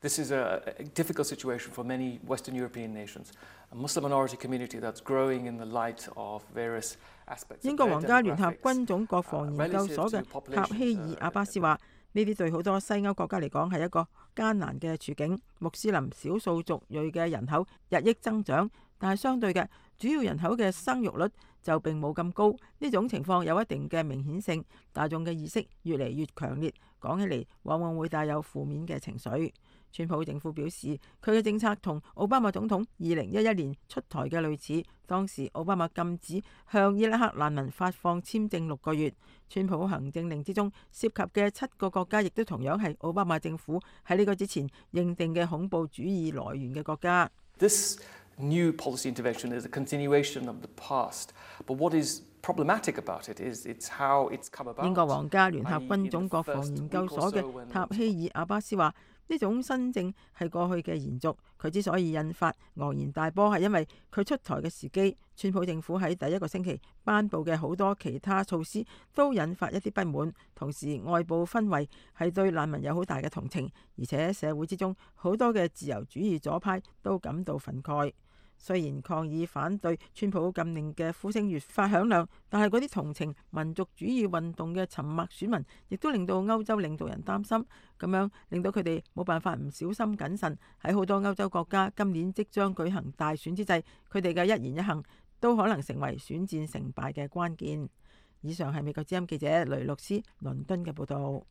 Speaker 15: This is a difficult situation for many Western European nations, a Muslim minority community that's growing in the light of various aspects.
Speaker 12: 英國皇家聯合軍種國防研究所嘅塔希爾阿巴斯話：呢啲對好多西歐國家嚟講係一個艱難嘅處境。穆斯林少數族裔嘅人口日益增長，但係相對嘅主要人口嘅生育率就並冇咁高。呢種情況有一定嘅明顯性，大眾嘅意識越嚟越強烈，講起嚟往往會帶有負面嘅情緒。川普政府表示，佢嘅政策同奧巴馬總統2011年出台嘅類似。當時奧巴馬禁止向伊拉克難民發放簽證6個月。川普行政令之中涉及嘅7個國家，亦都同樣係奧巴馬政府喺呢個之前認定嘅恐怖主義來源嘅國家。
Speaker 15: This new policy intervention is a continuation of the past, but what is problematic about it is it's how it's come about.
Speaker 12: 英國皇家聯合軍種國防研究所嘅塔希爾阿巴斯話：呢種新政係過去嘅延續，佢之所以引發昂然大波，係因為佢出台嘅時機。川普政府喺第一個星期頒布嘅好多其他措施都引發一啲不滿，同時外部氛圍係對難民有好大嘅同情，而且社會之中好多嘅自由主義左派都感到憤慨。雖然抗議反對川普禁令嘅呼聲越發響亮，但係嗰啲同情民族主義運動嘅沉默選民，亦都令到歐洲領導人擔心，咁樣令到佢哋冇辦法唔小心謹慎。喺好多歐洲國家今年即將舉行大選之際，佢哋嘅一言一行都可能成為選戰成敗嘅關鍵。以上係美國之音記者雷洛斯倫敦嘅報導。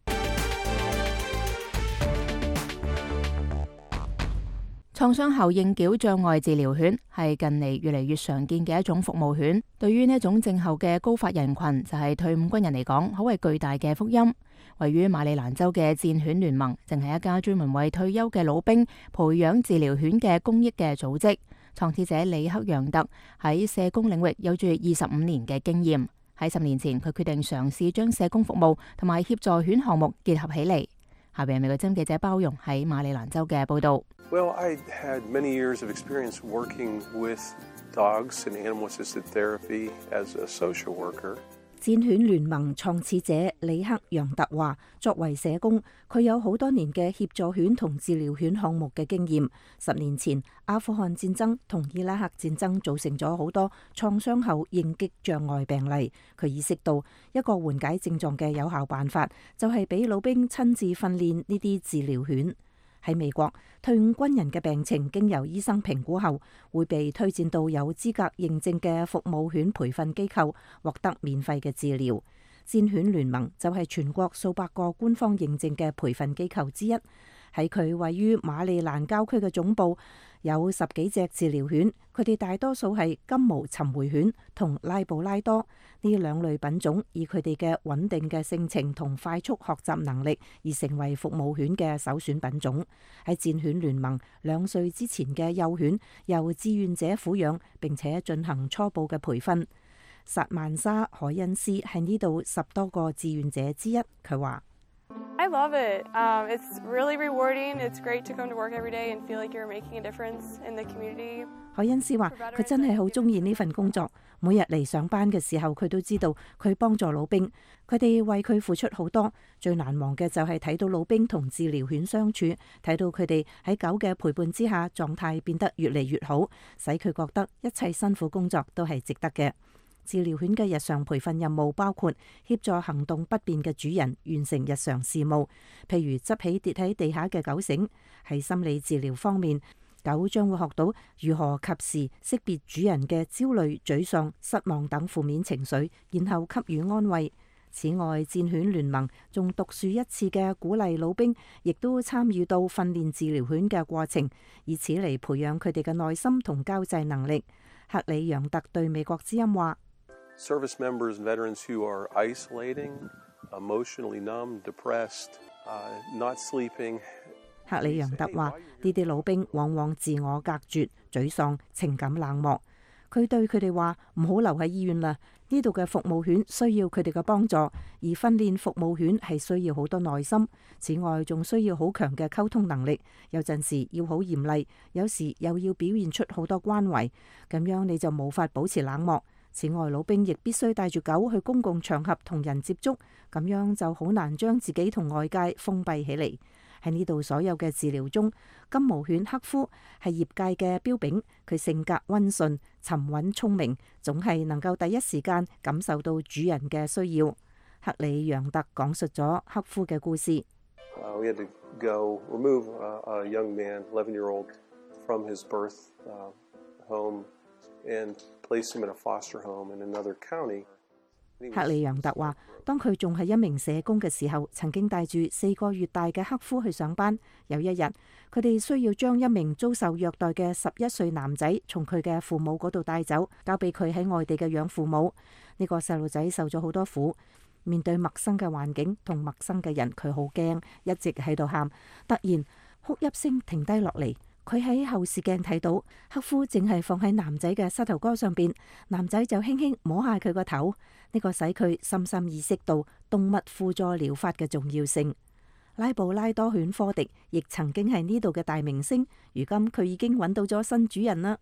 Speaker 3: 創傷後應繳障礙治療犬係近嚟越嚟越常見嘅一種服務犬。對於呢一種症候嘅高發人群，就係退伍軍人嚟講，可謂巨大嘅福音。位於馬里蘭州嘅戰犬聯盟，淨係一家專門為退休嘅老兵培養治療犬嘅公益嘅組織。創始者里克楊特喺社工領域有住25年嘅經驗。喺10年前，佢決定嘗試將社工服務同埋協助犬項目結合起嚟。下邊係美國之音記者包容喺馬里蘭州嘅報道。
Speaker 16: Well, I had many years of experience working with dogs and animal-assisted therapy as a social worker.
Speaker 8: 戰犬聯盟創始者里克楊特話：作為社工，佢有好多年嘅協助犬同治療犬項目嘅經驗。10年前，阿富汗戰爭同伊拉克戰爭造成咗好多創傷後應激障礙病例。佢意識到一個緩解症狀嘅有效辦法，就係俾老兵親自訓練呢啲治療犬。喺美國，退伍軍人嘅病情經由醫生評估後，會被推薦到有資格認證嘅服務犬培訓機構，獲得免費嘅治療。戰犬聯盟就係全國數百個官方認證嘅培訓機構之一。喺佢位於馬里蘭郊區嘅總部，有10幾隻治療犬，佢哋大多數係金毛尋回犬同拉布拉多呢兩類品種，以佢哋嘅穩定嘅性情同快速學習能力而成為服務犬嘅首選品種。喺戰犬聯盟2歲之前嘅幼犬由志願者撫養，並且進行初步嘅培訓。薩曼莎·海恩斯係呢度10多個志願者之一，佢話
Speaker 17: ：I love it. It's really rewarding. It's great to come to work every day and feel like you're making a difference in the community.
Speaker 8: 海恩斯話：佢真係好中意呢份工作，每日嚟上班嘅時候，佢都知道佢幫助老兵，佢哋為佢付出好多。最難忘嘅就係睇到老兵同治療犬相處，睇到佢哋喺狗嘅陪伴之下，狀態變得越嚟越好，使佢覺得一切辛苦工作都係值得嘅。治療犬嘅日常培訓任務包括協助行動不便嘅主人完成日常事務，譬如執起跌喺地下嘅狗繩。喺心理治療方面，狗將會學到如何及時識別主人嘅焦慮、沮喪、失望等負面情緒，然後給予安慰。此外，戰犬聯盟仲獨樹一幟嘅鼓勵老兵，亦都參與到訓練治療犬嘅過程，以此嚟培養佢哋嘅耐心同交際能力。克里楊特對美國之音話
Speaker 16: ：Service members and veterans who are isolating, emotionally numb, depressed, not sleeping。
Speaker 8: 克里楊特話：呢啲老兵往往自我隔絕、沮喪、情感冷漠。佢對佢哋話：唔好留喺醫院啦，呢度嘅服務犬需要佢哋嘅幫助，而訓練服務犬係需要好多耐心。此外，仲需要好強嘅溝通能力，有陣時要好嚴厲，有時又要表現出好多關懷，咁樣你就無法保持冷漠。此外，老兵亦必須帶住狗去公共場合同人接觸，咁樣就好難將自己同外界封閉起嚟。喺呢度所有嘅治療中，金毛犬克夫係業界嘅標炳。佢性格溫順、沉穩、聰明，總係能夠第一時間感受到主人嘅需要。克里楊特講述咗克夫嘅故事。
Speaker 16: We had to go remove a young man, 11-year-old, from his birth home and place him in a foster home in another county。克里楊特話：當佢仲係一名社工嘅時候，曾經帶住4個月大嘅克夫去上班。有一日，佢哋需要將一名遭受虐待嘅11歲男仔從佢嘅父母嗰度帶走，交俾佢喺外地嘅養父母。呢個細路仔受咗好多苦，面對陌生嘅環境同陌生嘅人，佢好驚，一直喺度喊。突然，哭泣聲停低落嚟。佢喺後視鏡睇到克夫淨係放喺男仔嘅膝頭哥上邊，男仔就輕輕摸下佢個頭。呢個使佢深深意識到動物輔助療法嘅重要性。拉布拉多犬科迪亦曾經係呢度嘅大明星，如今佢已經揾到咗新主人啦。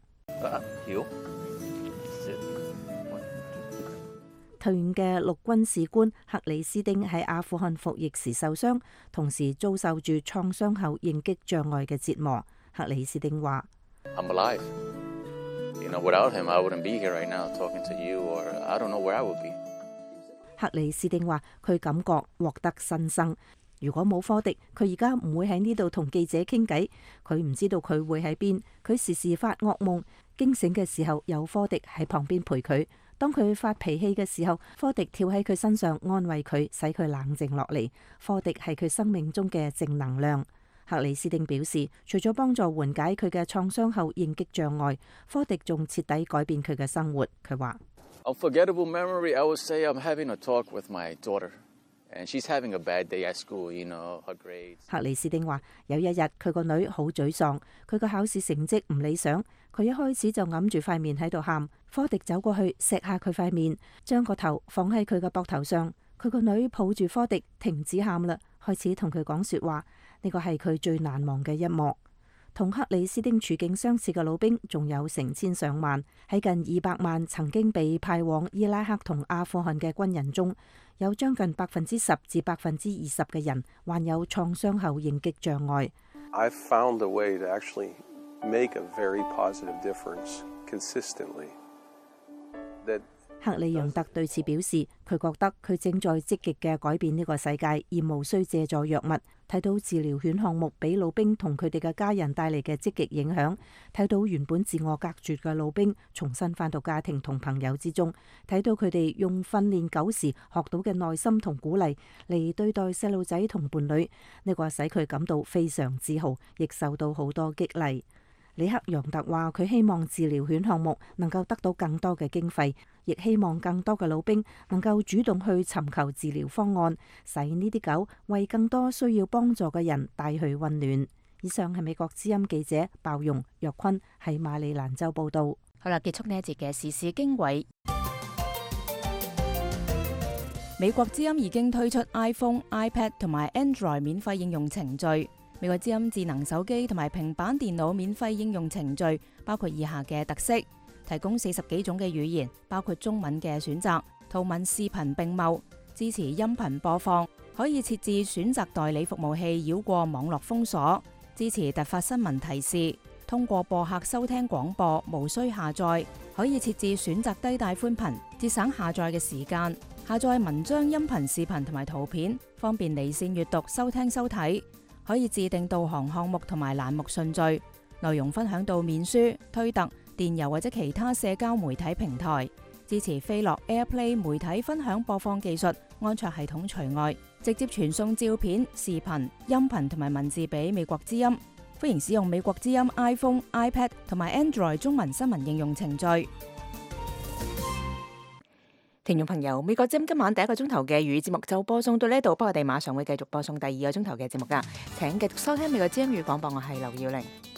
Speaker 16: 退伍嘅陸軍士官克里斯丁喺阿富汗服役時受傷，同時遭受住創傷後應激障礙嘅折磨。克里斯丁話：克里斯丁話佢感覺獲得新生。如果冇科迪，佢而家唔會喺呢度同記者傾偈。佢唔知道佢會喺邊。佢時時發噩夢，驚醒嘅時候有科迪喺旁邊陪佢。當佢發脾氣嘅時候，科迪跳喺佢身上安慰佢，使佢冷靜落嚟。科迪係佢生命中嘅正能量。克里斯丁表示，除咗幫助緩解佢嘅創傷後應激障礙，科迪仲徹底改變佢嘅生活。佢話
Speaker 18: ：Unforgettable memory, I would say I'm having a talk with my daughter, and she's having a bad day at school. You know, her grades.
Speaker 8: 克里斯丁話：有一日佢個女好沮喪，佢個考試成績唔理想，佢一開始就揞住塊面喺度喊。科迪走過去錫下佢塊面，將個頭放喺佢嘅膊頭上。佢個女抱住科迪停止喊啦，開始同佢講說話。呢個係佢最難忘嘅一幕。同克里斯丁處境相似嘅老兵仲有成千上萬。喺近200萬曾經被派往伊拉克同阿富汗嘅軍人中，有將近10%至20%嘅人患有創傷後應激障礙。
Speaker 16: I've found a way to actually make a very positive difference consistently. That
Speaker 8: 克里楊特對此表示，佢覺得佢正在積極嘅改變呢個世界，而無需借助藥物。睇到治療犬項目俾老兵同佢哋嘅家人帶嚟嘅積極影響，睇到原本自我隔絕嘅老兵重新返到家庭同朋友之中，睇到佢哋用訓練狗時學到嘅耐心同鼓勵嚟對待細路仔同伴侶，呢個使佢感到非常自豪，亦受到好多激勵。里克楊特話：佢希望治療犬項目能夠得到更多嘅經費，亦希望更多嘅老兵能夠主動去尋求治療方案，使呢啲狗為更多需要幫助嘅人帶去溫暖。以上係美國之音記者鮑容若坤喺馬里蘭州報道。
Speaker 3: 好啦，結束呢一節嘅時事經緯。美國之音已經推出 iPhone、iPad 同埋 Android 免費應用程序。美國之音智能手機同埋平板電腦免費應用程序包括以下嘅特色：提供40幾種嘅語言，包括中文嘅選擇，圖文視頻並茂，支持音頻播放，可以設置選擇代理服務器繞過網絡封鎖，支持突發新聞提示，通過播客收聽廣播，無需下載，可以設置選擇低帶寬頻節省下載嘅時間，下載文章、音頻、視頻同埋圖片，方便離線閱讀、收聽收睇。可以自定導航項目同埋欄目順序，內容分享到面書、推特、電郵或者其他社交媒體平台。支持飛樂 AirPlay 媒體分享播放技術，安卓系統除外，直接傳送照片、視頻、音頻同埋文字俾美國之音。歡迎使用美國之音 iPhone、iPad 同埋 Android 中文新聞應用程序。聽眾朋友，美國之音今晚第一個鐘頭嘅粵語節目就播送到呢度，不過我哋馬上會繼續播送第二個鐘頭嘅節目噶，請繼續收聽美國之音粵語廣播，我係劉耀玲。